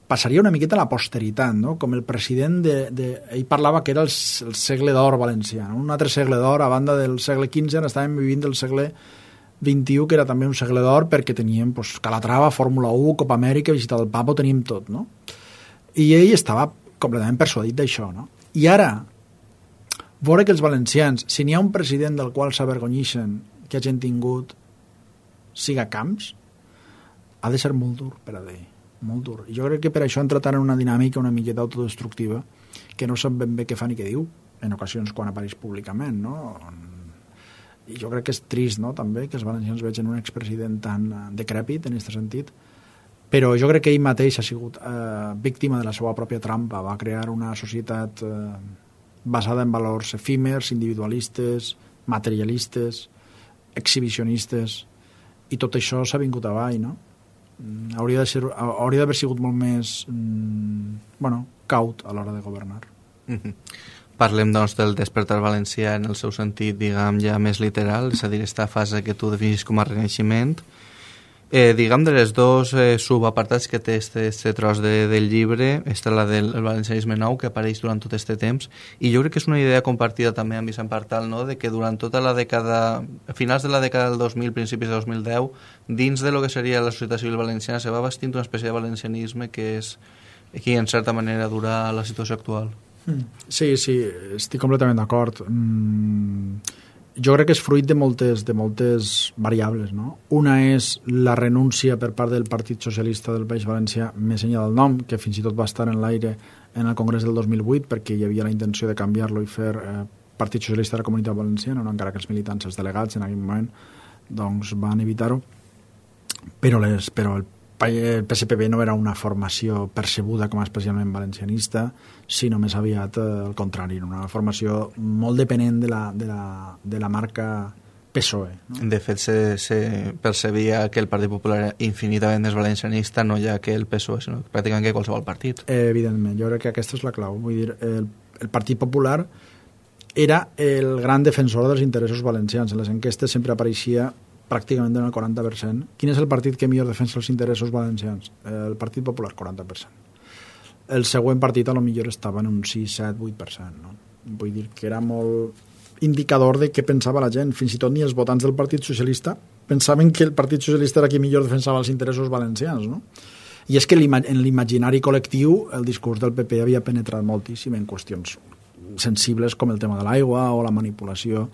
passaria una miqueta a la posteritat, no? Com el president ell parlava que era el segle d'or valencià, no? Un altre segle d'or, a banda del segle XV, estàvem vivint del segle XXI, que era també un segle d'or perquè teníem, pues, Calatrava, Fórmula 1, Copa Amèrica, visita del Papa, ho teníem tot, no? I ell estava completament persuadit d'això, no? I ara, veure que els valencians, si n'hi ha un president del qual s'avergonyixen que hagin tingut siga Camps, ha de ser molt dur per a ell, molt dur. I jo crec que per això ha entrat en una dinàmica una miqueta autodestructiva que no sap ben bé què fa ni què diu, en ocasions quan apareix públicament, no? I jo crec que és trist, no?, també, que els valencians vegin un expresident tan decrèpit en aquest sentit, però jo crec que ell mateix ha sigut víctima de la seva pròpia trampa. Va crear una societat basada en valors efímers, individualistes, materialistes, exhibicionistes, i tot això s'ha vingut avall, no? Hauria d'haver sigut molt més caut a l'hora de governar. Parlem, doncs, del despertar valencià en el seu sentit, diguem, ja més literal, és a dir, aquesta fase que tu definís com a renaixement. Diguem, de les dos subapartats que té este tros del llibre, està la del valencianisme nou, que apareix durant tot aquest temps, i jo crec que és una idea compartida també amb Vicent Partal, no?, de que durant tota la dècada, a finals de la dècada del 2000, principis de 2010, dins de lo que seria la societat civil valenciana se va bastint una espècie de valencianisme que és qui, en certa manera, dura la situació actual. Sí, estic completament d'acord. Jo crec que és fruit de moltes variables, no? Una és la renúncia per part del Partit Socialista del País Valencià, més enllà del nom, que fins i tot va estar en l'aire en el Congrés del 2008 perquè hi havia la intenció de canviar-lo i fer Partit Socialista de la Comunitat Valenciana, no? Encara que els militants, els delegats en aquell moment, doncs van evitar-ho. Però el PSPV no era una formació percebuda com a especialment valencianista, sinó més aviat el contrari, una formació molt dependent de la marca PSOE. No? De fet, se percebia que el Partit Popular era infinitament més valencianista, no ja que el PSOE, sinó pràcticament que qualsevol partit. Evidentment, jo crec que aquesta és la clau. Vull dir, el Partit Popular era el gran defensor dels interessos valencians. En les enquestes sempre apareixia pràcticament en el 40%. Quin és el partit que millor defensa els interessos valencians? El Partit Popular, 40%. El següent partit a lo millor estava en un 6, 7, 8%. No? Vull dir que era molt indicador de què pensava la gent. Fins i tot ni els votants del Partit Socialista pensaven que el Partit Socialista era qui millor defensava els interessos valencians. No? I és que en l'imaginari col·lectiu el discurs del PP havia penetrat moltíssim en qüestions sensibles com el tema de l'aigua o la manipulació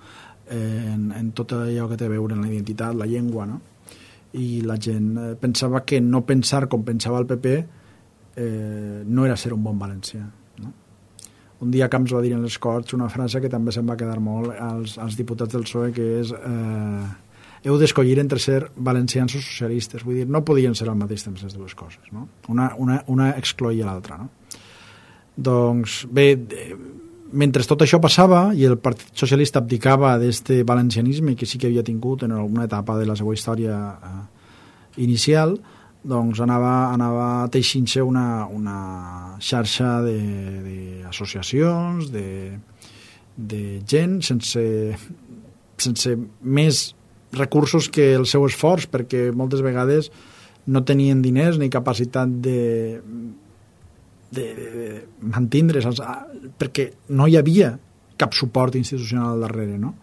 en tot allò que té a veure amb la identitat, la llengua, no? I la gent pensava que no pensar com pensava el PP no era ser un bon valencià, no? Un dia Camps va dir en les Corts una frase que també se'n va quedar molt als diputats del PSOE, que és heu d'escollir entre ser valencians o socialistes. Vull dir, no podien ser al mateix temps les dues coses, no? Una excloïa l'altra, no? Doncs bé, mentre tot això passava i el Partit Socialista abdicava d'aquest valencianisme que sí que havia tingut en alguna etapa de la seva història inicial, doncs anava teixint-se una xarxa d'associacions, de gent sense més recursos que el seu esforç, perquè moltes vegades no tenien diners ni capacitat de mantindre's, perquè no hi havia cap suport institucional al darrere, no?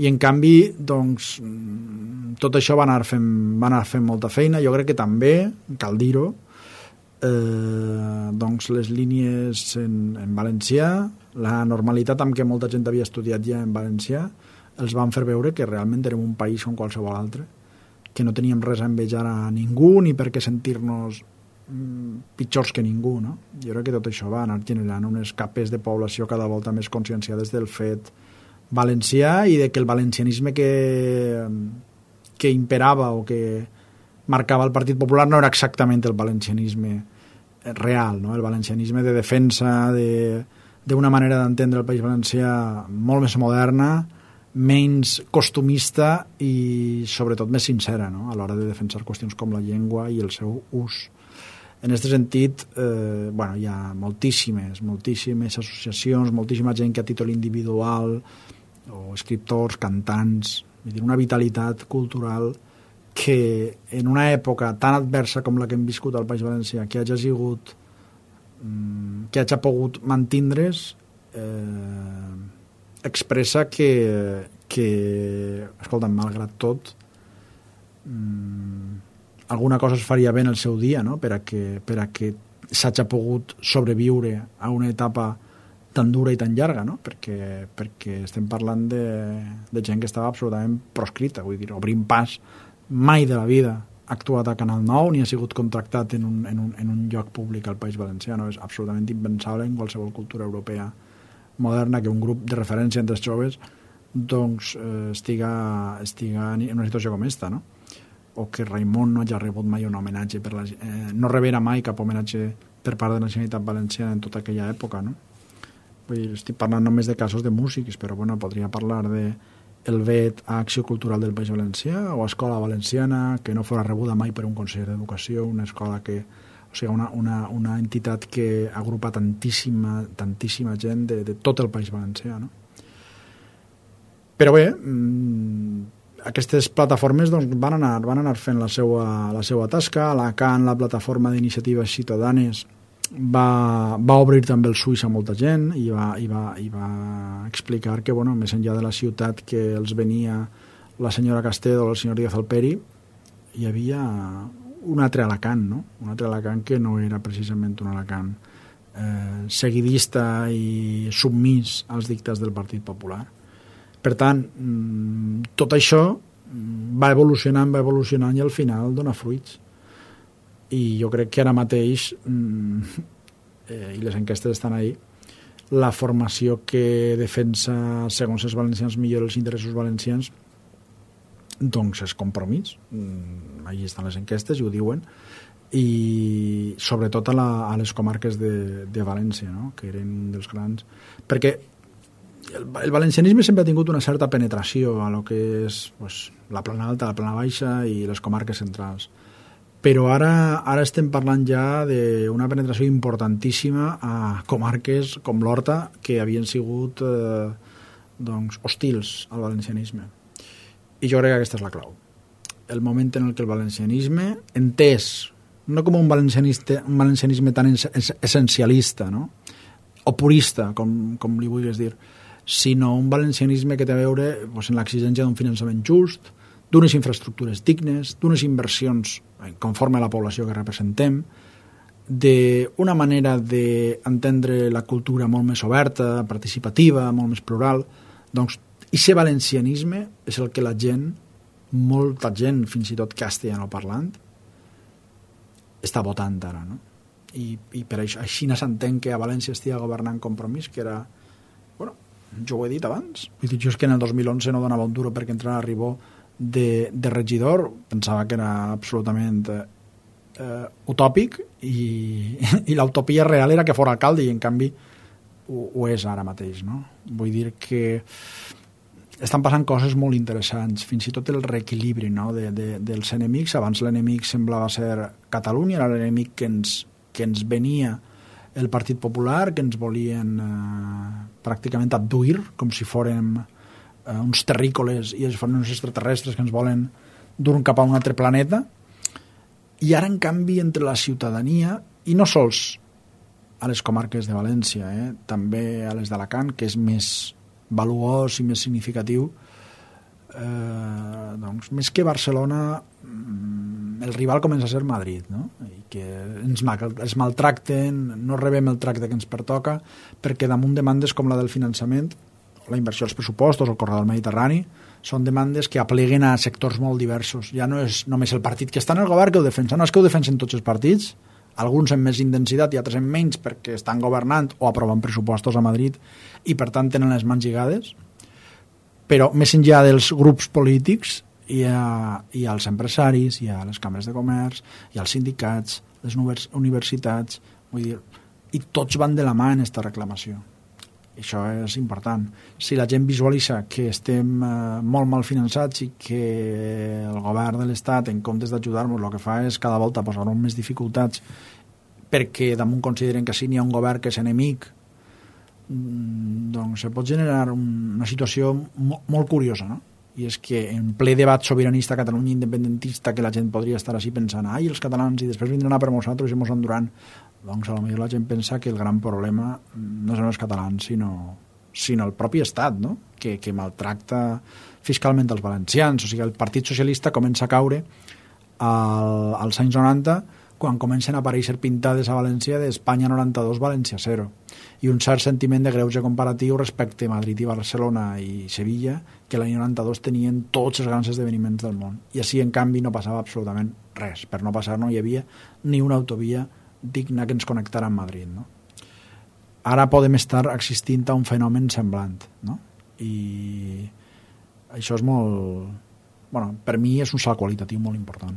I en canvi, doncs, tot això va anar fent molta feina. Jo crec que també, cal dir-ho, doncs les línies en valencià, la normalitat amb què molta gent havia estudiat ja en valencià, els van fer veure que realment érem un país com qualsevol altre, que no teníem res a envejar a ningú ni per què sentir-nos pitjors que ningú, no? Jo crec que tot això va anar generant unes capes de població cada volta més conscienciades del fet valencià i de que el valencianisme que imperava o que marcava el Partit Popular no era exactament el valencianisme real, no? El valencianisme de defensa d'una manera d'entendre el País Valencià molt més moderna, menys costumista i sobretot més sincera, no? A l'hora de defensar qüestions com la llengua i el seu ús. En aquest sentit, hi ha moltíssimes associacions, moltíssima gent que a títol individual, o escriptors, cantants, una vitalitat cultural que en una època tan adversa com la que hem viscut al País Valencià, que hagi pogut mantindre's, expressa que escolta'm, malgrat tot, alguna cosa es faria bé en el seu dia, no? per a que s'hagi pogut sobreviure a una etapa tan dura i tan llarga, no? perquè estem parlant de gent que estava absolutament proscrita, vull dir, Obrim Pas mai de la vida ha actuat a Canal 9 ni ha sigut contractat en un lloc públic al País Valencià, no? És absolutament impensable en qualsevol cultura europea moderna que un grup de referència entre els joves doncs estiga en una situació com esta, no? O que Raimon no hagi rebut mai un homenatge no rebera mai cap homenatge per part de la Generalitat Valenciana en tota aquella època, no? Vull dir, estic parlant només de casos de músics, però bueno, podria parlar de el vet a Acció Cultural del País Valencià o a Escola Valenciana, que no fora rebuda mai per un conseller d'Educació, una escola que, o sigui, una entitat que agrupa tantíssima gent de tot el País Valencià, no? Però bé, aquestes plataformes doncs, van anar fent la seva tasca. Alacant, la plataforma d'iniciatives ciutadanes, va obrir també els ulls a molta gent i va explicar que, bueno, més enllà de la ciutat que els venia la senyora Castedo o el senyor Díaz Alperi, hi havia un altre Alacant, no? Un altre Alacant que no era precisament un Alacant seguidista i submís als dictats del Partit Popular. Per tant, tot això va evolucionant i al final dona fruits. I jo crec que ara mateix, i les enquestes estan ahí, la formació que defensa, segons els valencians, millor els interessos valencians, doncs és Compromís. Allí estan les enquestes i ho diuen. I sobretot a les comarques de València, no? Que eren dels grans. Perquè el valencianisme sempre ha tingut una certa penetració a lo que és pues, la plana alta, la plana baixa i les comarques centrals. Però ara estem parlant ja d'una penetració importantíssima a comarques com l'Horta, que havien sigut doncs, hostils al valencianisme. I jo crec que aquesta és la clau. El moment en què el valencianisme, entès no com un valencianisme tan essencialista, no? O purista, com li vulguis dir, sinó un valencianisme que té a veure doncs, en l'exigència d'un finançament just, d'unes infraestructures dignes, d'unes inversions conforme a la població que representem, d'una manera d'entendre la cultura molt més oberta, participativa, molt més plural. Doncs, aquest valencianisme és el que la gent, molta gent, fins i tot castellanoparlant, està votant ara, no? I per això, així s'entén que a València estigui governant Compromís, que era, bueno, jo ho he dit abans, he dit jo és que en el 2011 no donava un duro perquè entrara a Ribó de regidor, pensava que era absolutament utòpic i l'utopia real era que fos alcalde i en canvi ho és ara mateix, no? Vull dir que estan passant coses molt interessants, fins i tot el reequilibri, no? dels enemics. Abans l'enemic semblava ser Catalunya, era l'enemic que ens venia el Partit Popular, que ens volien pràcticament abduir, com si fórem uns terrícoles i es fan uns extraterrestres que ens volen dur cap a un altre planeta. I ara, en canvi, entre la ciutadania, i no sols a les comarques de València, també a les d'Alacant, que és més valuós i més significatiu, doncs, més que Barcelona, el rival comença a ser Madrid, no? I que ens maltracten, no rebem el tracte que ens pertoca, perquè damunt demandes com la del finançament, la inversió als pressupostos, el corredor mediterrani, són demandes que apleguen a sectors molt diversos. Ja no és només el partit que està en el govern que ho defensa, no és que ho defensen tots els partits, alguns amb més intensitat i altres amb menys perquè estan governant o aprovant pressupostos a Madrid i per tant tenen les mans lligades, però més enllà dels grups polítics hi ha els empresaris, hi ha les cambres de comerç, hi ha els sindicats, les universitats, vull dir, i tots van de la mà en aquesta reclamació. Això és important. Si la gent visualitza que estem molt mal finançats i que el govern de l'Estat, en comptes d'ajudar-nos, el que fa és cada volta posar-nos més dificultats perquè damunt consideren que si n'hi ha un govern que és enemic, doncs se pot generar una situació molt curiosa, no? I és que en ple debat sobiranista Catalunya independentista que la gent podria estar així pensant els catalans i després vindran a per nosaltres i mos enduran, doncs potser la gent pensa que el gran problema no són els catalans sinó el propi Estat, no? que maltracta fiscalment els valencians. O sigui, el Partit Socialista comença a caure als anys 90 quan comencen a aparèixer pintades a València d'Espanya 92, València 0, i un cert sentiment de greuge comparatiu respecte a Madrid i Barcelona i Sevilla, que l'any 92 tenien tots els grans esdeveniments del món. I així, en canvi, no passava absolutament res. Per no passar no hi havia ni una autovia digna que ens connectara amb Madrid, no? Ara podem estar existint a un fenomen semblant, no? I això és molt... Bueno, per mi és un salt qualitatiu molt important.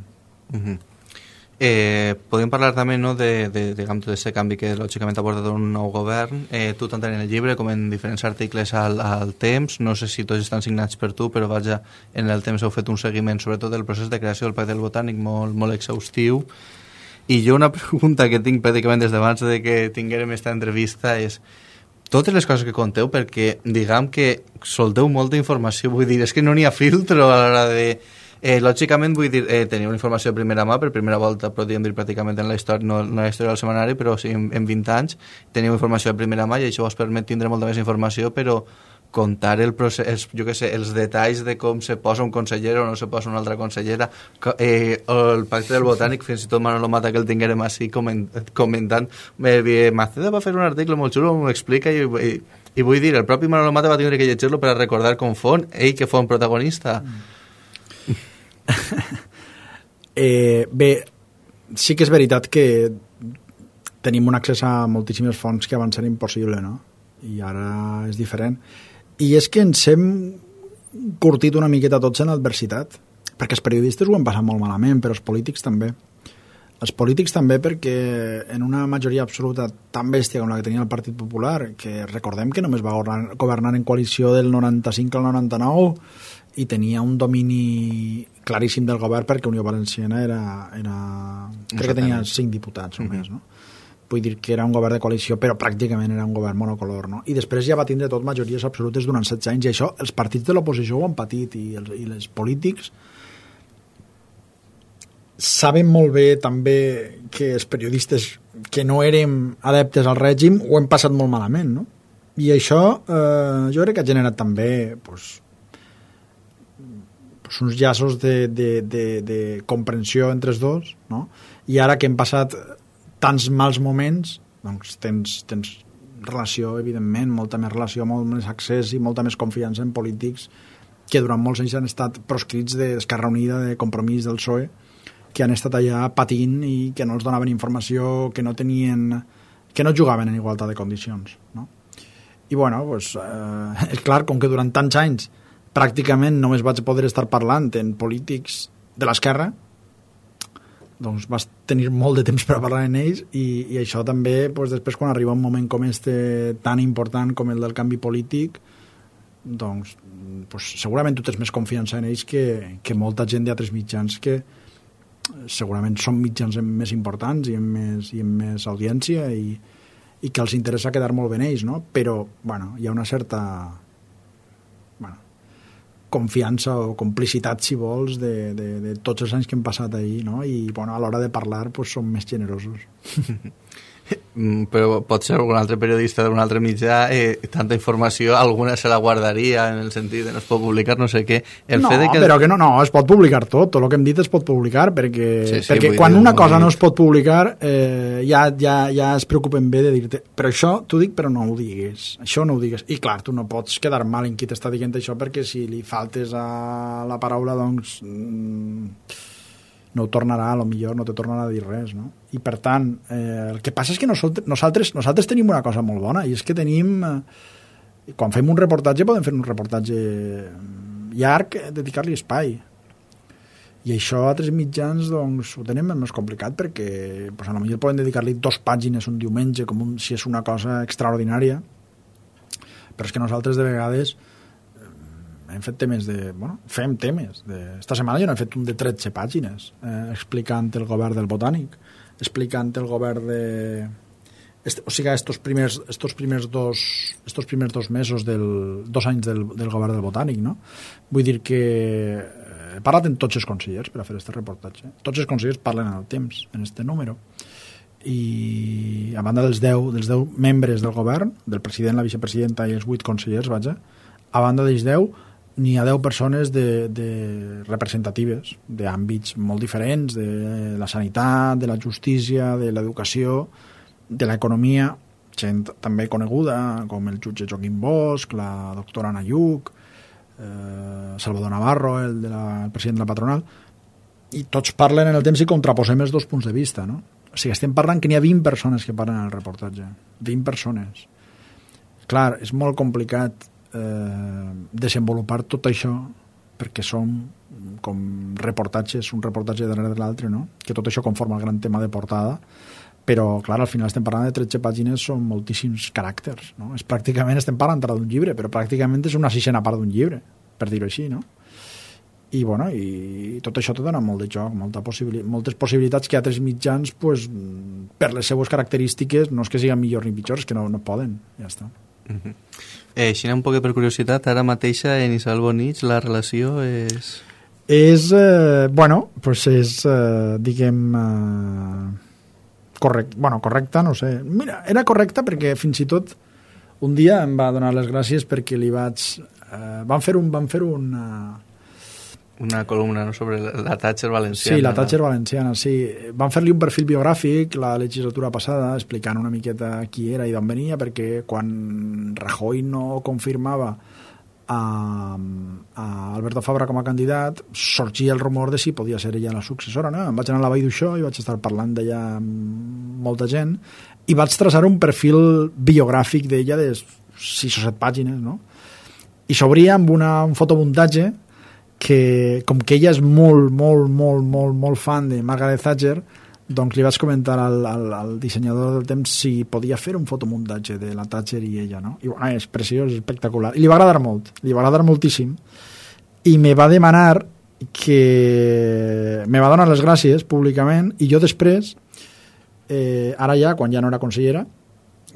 Podem parlar també, no, d'aquest canvi que lògicament ha portat un nou govern. Tu tant en el llibre com en diferents articles al Temps, no sé si tots estan signats per tu, però vaja, en el Temps heu fet un seguiment sobretot del procés de creació del Pacte del Botànic molt, molt exhaustiu. I jo una pregunta que tinc pràcticament des d'abans de que tinguérem aquesta entrevista és totes les coses que conteu, perquè diguem que solteu molta informació, vull dir, és que no n'hi ha filtro a l'hora de... lògicament, vull dir, teniu una informació de primera mà, per primera volta, podríem dir pràcticament en la història, no en la història del setmanari, però sí en 20 anys, teniu informació de primera mà i això us permet tindre molta més informació, però contar el procés, jo què sé, els detalls de com se posa un conseller o no se posa una altra consellera, o el Pacte del Botànic, fins i tot Manolo Mata, que el tinguérem així comentant, Maceda va fer un article molt xulo, m'ho explica, i vull dir, el propi Manolo Mata va tenir que llegir-lo per a recordar com fon, ell que fon protagonista. Bé, sí que és veritat que tenim un accés a moltíssimes fonts que abans era impossible, no? I ara és diferent. I és que ens hem curtit una miqueta tots en l'adversitat, perquè els periodistes ho han passat molt malament, però els polítics també. Els polítics també perquè en una majoria absoluta tan bèstia com la que tenia el Partit Popular, que recordem que només va governar en coalició del 95 al 99 i tenia un domini claríssim del govern perquè Unió Valenciana era crec que tenia 5 diputats només, no? Vull dir que era un govern de coalició, però pràcticament era un govern monocolor, no? I després ja va tindre tot majories absolutes durant 16 anys, i això els partits de l'oposició ho han patit, i els polítics saben molt bé també que els periodistes que no érem adeptes al règim ho hem passat molt malament, no? I això jo crec que ha generat també uns llaços de comprensió entre els dos, no? I ara que hem passat tants mals moments, doncs tens relació, evidentment, molta més relació, molt més accés i molta més confiança en polítics que durant molts anys han estat proscrits d'Esquerra Unida, de Compromís, del PSOE, que han estat allà patint i que no els donaven informació, que no jugaven en igualtat de condicions, no? I bueno, doncs, és clar, com que durant tants anys pràcticament només vaig poder estar parlant en polítics de l'esquerra, doncs vas tenir molt de temps per a parlar en ells i això també, doncs, després quan arriba un moment com este tan important com el del canvi polític, doncs segurament tu tens més confiança en ells que molta gent d'altres mitjans que segurament són mitjans més importants i amb més audiència i que els interessa quedar molt bé en ells, no? Però bueno, hi ha una certa confiança o complicitat, si vols, de tots els anys que hem passat ahir, no? I bueno, a l'hora de parlar som més generosos. Però pot ser algun altre periodista d'un altre mitjà, tanta informació, alguna se la guardaria en el sentit de no es pot publicar, no sé què. Però que no, es pot publicar tot el que hem dit es pot publicar, perquè quan una cosa no es pot publicar ja es preocupen bé de dir-te, però això t'ho dic però no ho digues, això no ho digues, i clar, tu no pots quedar mal en qui t'està dient això, perquè si li faltes a la paraula, doncs no ho tornarà, a lo millor no te tornarà a dir res, no? I per tant, el que passa és que nosaltres tenim una cosa molt bona, i és que tenim, quan fem un reportatge podem fer un reportatge llarg, dedicar-li espai, i això a altres mitjans doncs ho tenim més complicat, perquè pues, a lo millor poden dedicar-li 2 pàgines un diumenge, si és una cosa extraordinària, però és que nosaltres de vegades hem fet temes fem temes. Esta setmana jo n'he fet un de 13 pàgines explicant el govern del Botànic, explicant el govern o sigui, estos primers 2 mesos 2 anys del govern del Botànic, no? Vull dir que he parlat amb tots els consellers per a fer aquest reportatge. Tots els consellers parlen en el temps, en este número. I a banda dels 10 membres del govern, del president, la vicepresidenta i els 8 consellers, a banda dels 10 n'hi ha 10 persones representatives d'àmbits molt diferents, de la sanitat, de la justícia, de l'educació, de l'economia, gent també coneguda com el jutge Joaquim Bosch, la doctora Ana Lluc, Salvador Navarro, el president de la patronal, i tots parlen en el temps i contraposem els 2 punts de vista, no? O sigui, estem parlant que n'hi ha 20 persones que parlen en el reportatge, 20 persones. Clar, és molt complicat desenvolupar tot això perquè són com reportatges, un reportatge darrere de l'altre, no? Que tot això conforma el gran tema de portada, però, clar, al final estem parlant de 13 pàgines, són moltíssims caràcters, no? Pràcticament estem parlant d'un llibre, però pràcticament és una sisena part d'un llibre, per dir-ho així, no? I, bueno, i tot això te dona molt de joc, moltes possibilitats que altres mitjans, pues, per les seues característiques, no és que siguin millors ni pitjors, que no poden, ja està. Així un poc per curiositat, ara mateixa en Isabel Bonich la relació és... bueno, pues és, diguem... correcta, no sé. Mira, era correcta perquè fins i tot un dia em va donar les gràcies perquè li vaig... Van fer una columna, no?, sobre la Thatcher valenciana. Sí, la Thatcher valenciana, sí. Van fer-li un perfil biogràfic la legislatura passada, explicant una miqueta qui era i d'on venia, perquè quan Rajoy no confirmava a Alberto Fabra com a candidat, sorgia el rumor de si podia ser ella la successora, no? Em vaig anar a la Vall d'Uixó i vaig estar parlant d'ella amb molta gent i vaig traçar un perfil biogràfic d'ella de 6 o 7 pàgines, no? I s'obria amb un fotomuntatge que, com que ella és molt fan de Margaret Thatcher, doncs li vaig comentar al dissenyador del temps si podia fer un fotomuntatge de la Thatcher i ella, no? I bueno, és preciós, és espectacular. I li va agradar molt, li va agradar moltíssim. I me va demanar me va donar les gràcies públicament i jo després, ara ja, quan ja no era consellera,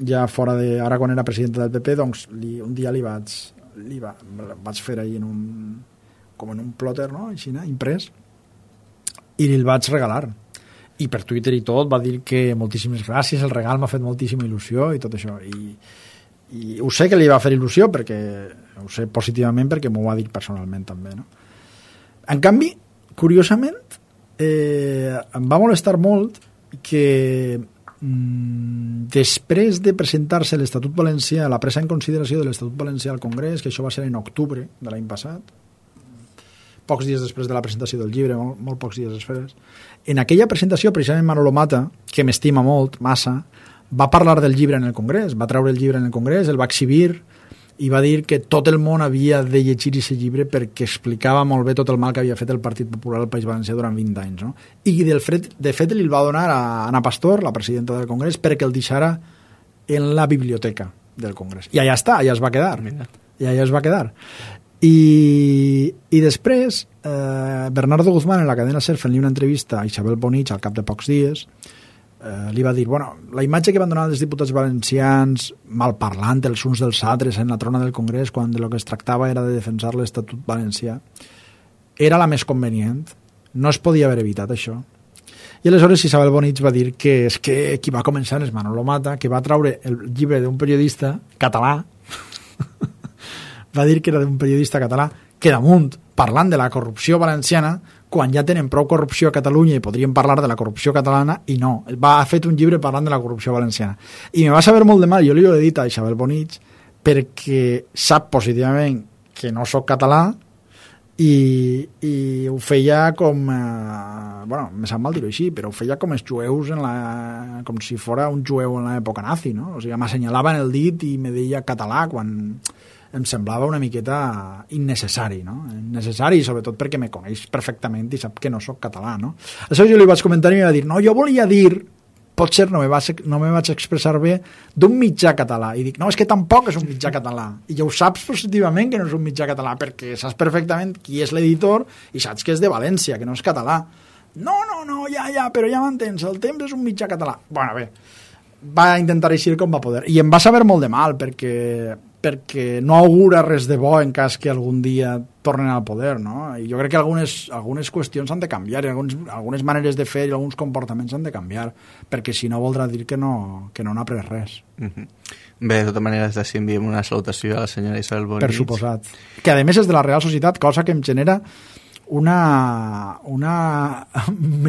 ja fora de... Ara quan era presidenta del PP, doncs un dia vaig fer ahir com en un plotter, no?, així, imprès, i el vaig regalar. I per Twitter i tot va dir que moltíssimes gràcies, el regal m'ha fet moltíssima il·lusió i tot això. I ho sé que li va fer il·lusió, perquè ho sé positivament perquè m'ho va dir personalment també, no? En canvi, curiosament, em va molestar molt que després de presentar-se l'Estatut Valencià, la presa en consideració de l'Estatut Valencià al Congrés, que això va ser en octubre de l'any passat, pocs dies després de la presentació del llibre, molt pocs dies després, en aquella presentació, precisament Manolo Mata, que m'estima molt, massa, va parlar del llibre en el Congrés, va treure el llibre en el Congrés, el va exhibir i va dir que tot el món havia de llegir aquest llibre perquè explicava molt bé tot el mal que havia fet el Partit Popular al País Valencià durant 20 anys. No? I de fet li va donar a Ana Pastor, la presidenta del Congrés, perquè el deixara en la biblioteca del Congrés. I allà està, allà es va quedar. I allà es va quedar. I després Bernardo Guzmán en la cadena SER fent-li una entrevista a Isabel Bonich al cap de pocs dies li va dir, bueno, la imatge que van donar els diputats valencians malparlant els uns dels altres en la trona del Congrés quan de lo que es tractava era de defensar l'Estatut Valencià era la més convenient, no es podia haver evitat això. I aleshores Isabel Bonich va dir que és que qui va començar és Manolo Mata, que va traure el llibre d'un periodista català va dir que era d'un periodista català que damunt, parlant de la corrupció valenciana, quan ja tenen prou corrupció a Catalunya i podrien parlar de la corrupció catalana, i no, ha fet un llibre parlant de la corrupció valenciana. I me va saber molt de mal, jo li ho he dit a Isabel Bonich, perquè sap positivament que no sóc català i ho feia com... bueno, me sap mal dir-ho així, però ho feia com els jueus, com si fora un jueu en l'època nazi, no? O sigui, m'assenyalava en el dit i me deia català quan... em semblava una miqueta innecessari, no? Innecessari, sobretot perquè me coneix perfectament i sap que no sóc català, no? Aleshores jo li vaig comentar i em va dir, no, jo volia dir, potser no me vaig expressar bé, d'un mitjà català. I dic, no, és que tampoc és un mitjà català. I ja ho saps positivament que no és un mitjà català, perquè saps perfectament qui és l'editor i saps que és de València, que no és català. No, ja, però ja m'entens, el temps és un mitjà català. Bueno, bé, va intentar eixir com va poder. I em va saber molt de mal, perquè no augura res de bo en cas que algun dia tornen al poder, no? I jo crec que algunes qüestions han de canviar i algunes maneres de fer i alguns comportaments han de canviar, perquè si no voldrà dir que no n'ha après res. Bé, de tota manera, des d'ací enviem una salutació a la senyora Isabel Bonich. Per suposat. Que a més és de la Real Societat, cosa que em genera me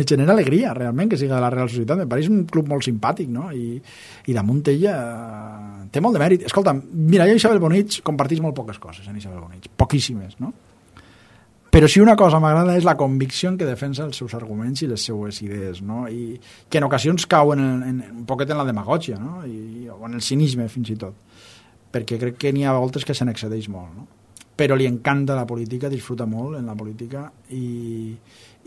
genera alegria realment que siga de la Real Societat, me pareix un club molt simpàtic, no? I damunt ella té molt de mèrit. Escolta, mira, jo i Isabel Bonich compartís molt poques coses en Isabel Bonich, poquíssimes, no? Però si una cosa m'agrada és la convicció que defensa els seus arguments i les seues idees, no? I que en ocasions cau un poquet en la demagògia, no? O en el cinisme fins i tot, perquè crec que n'hi ha voltes que se n'excedeix molt, no? però li encanta la política, disfruta molt en la política i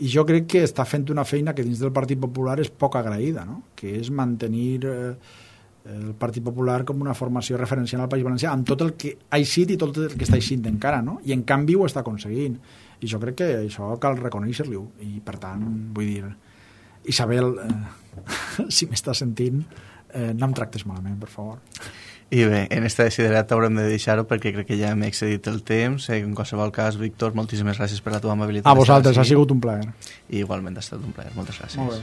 jo crec que està fent una feina que dins del Partit Popular és poc agraïda, no? Que és mantenir el Partit Popular com una formació referencial al País Valencià, amb tot el que ha eixit i tot el que està eixint encara, no? I en canvi ho està aconseguint. I jo crec que això cal reconèixer-li-ho. I per tant, vull dir, Isabel, si m'estàs sentint, no em tractes malament, per favor. I bé, en esta desiderat haurem de deixar-ho perquè crec que ja m'he excedit el temps. En qualsevol cas, Víctor, moltíssimes gràcies per la teva amabilitat. A vosaltres, ha sigut un plaer. I igualment ha estat un plaer. Moltes gràcies. Molt bé.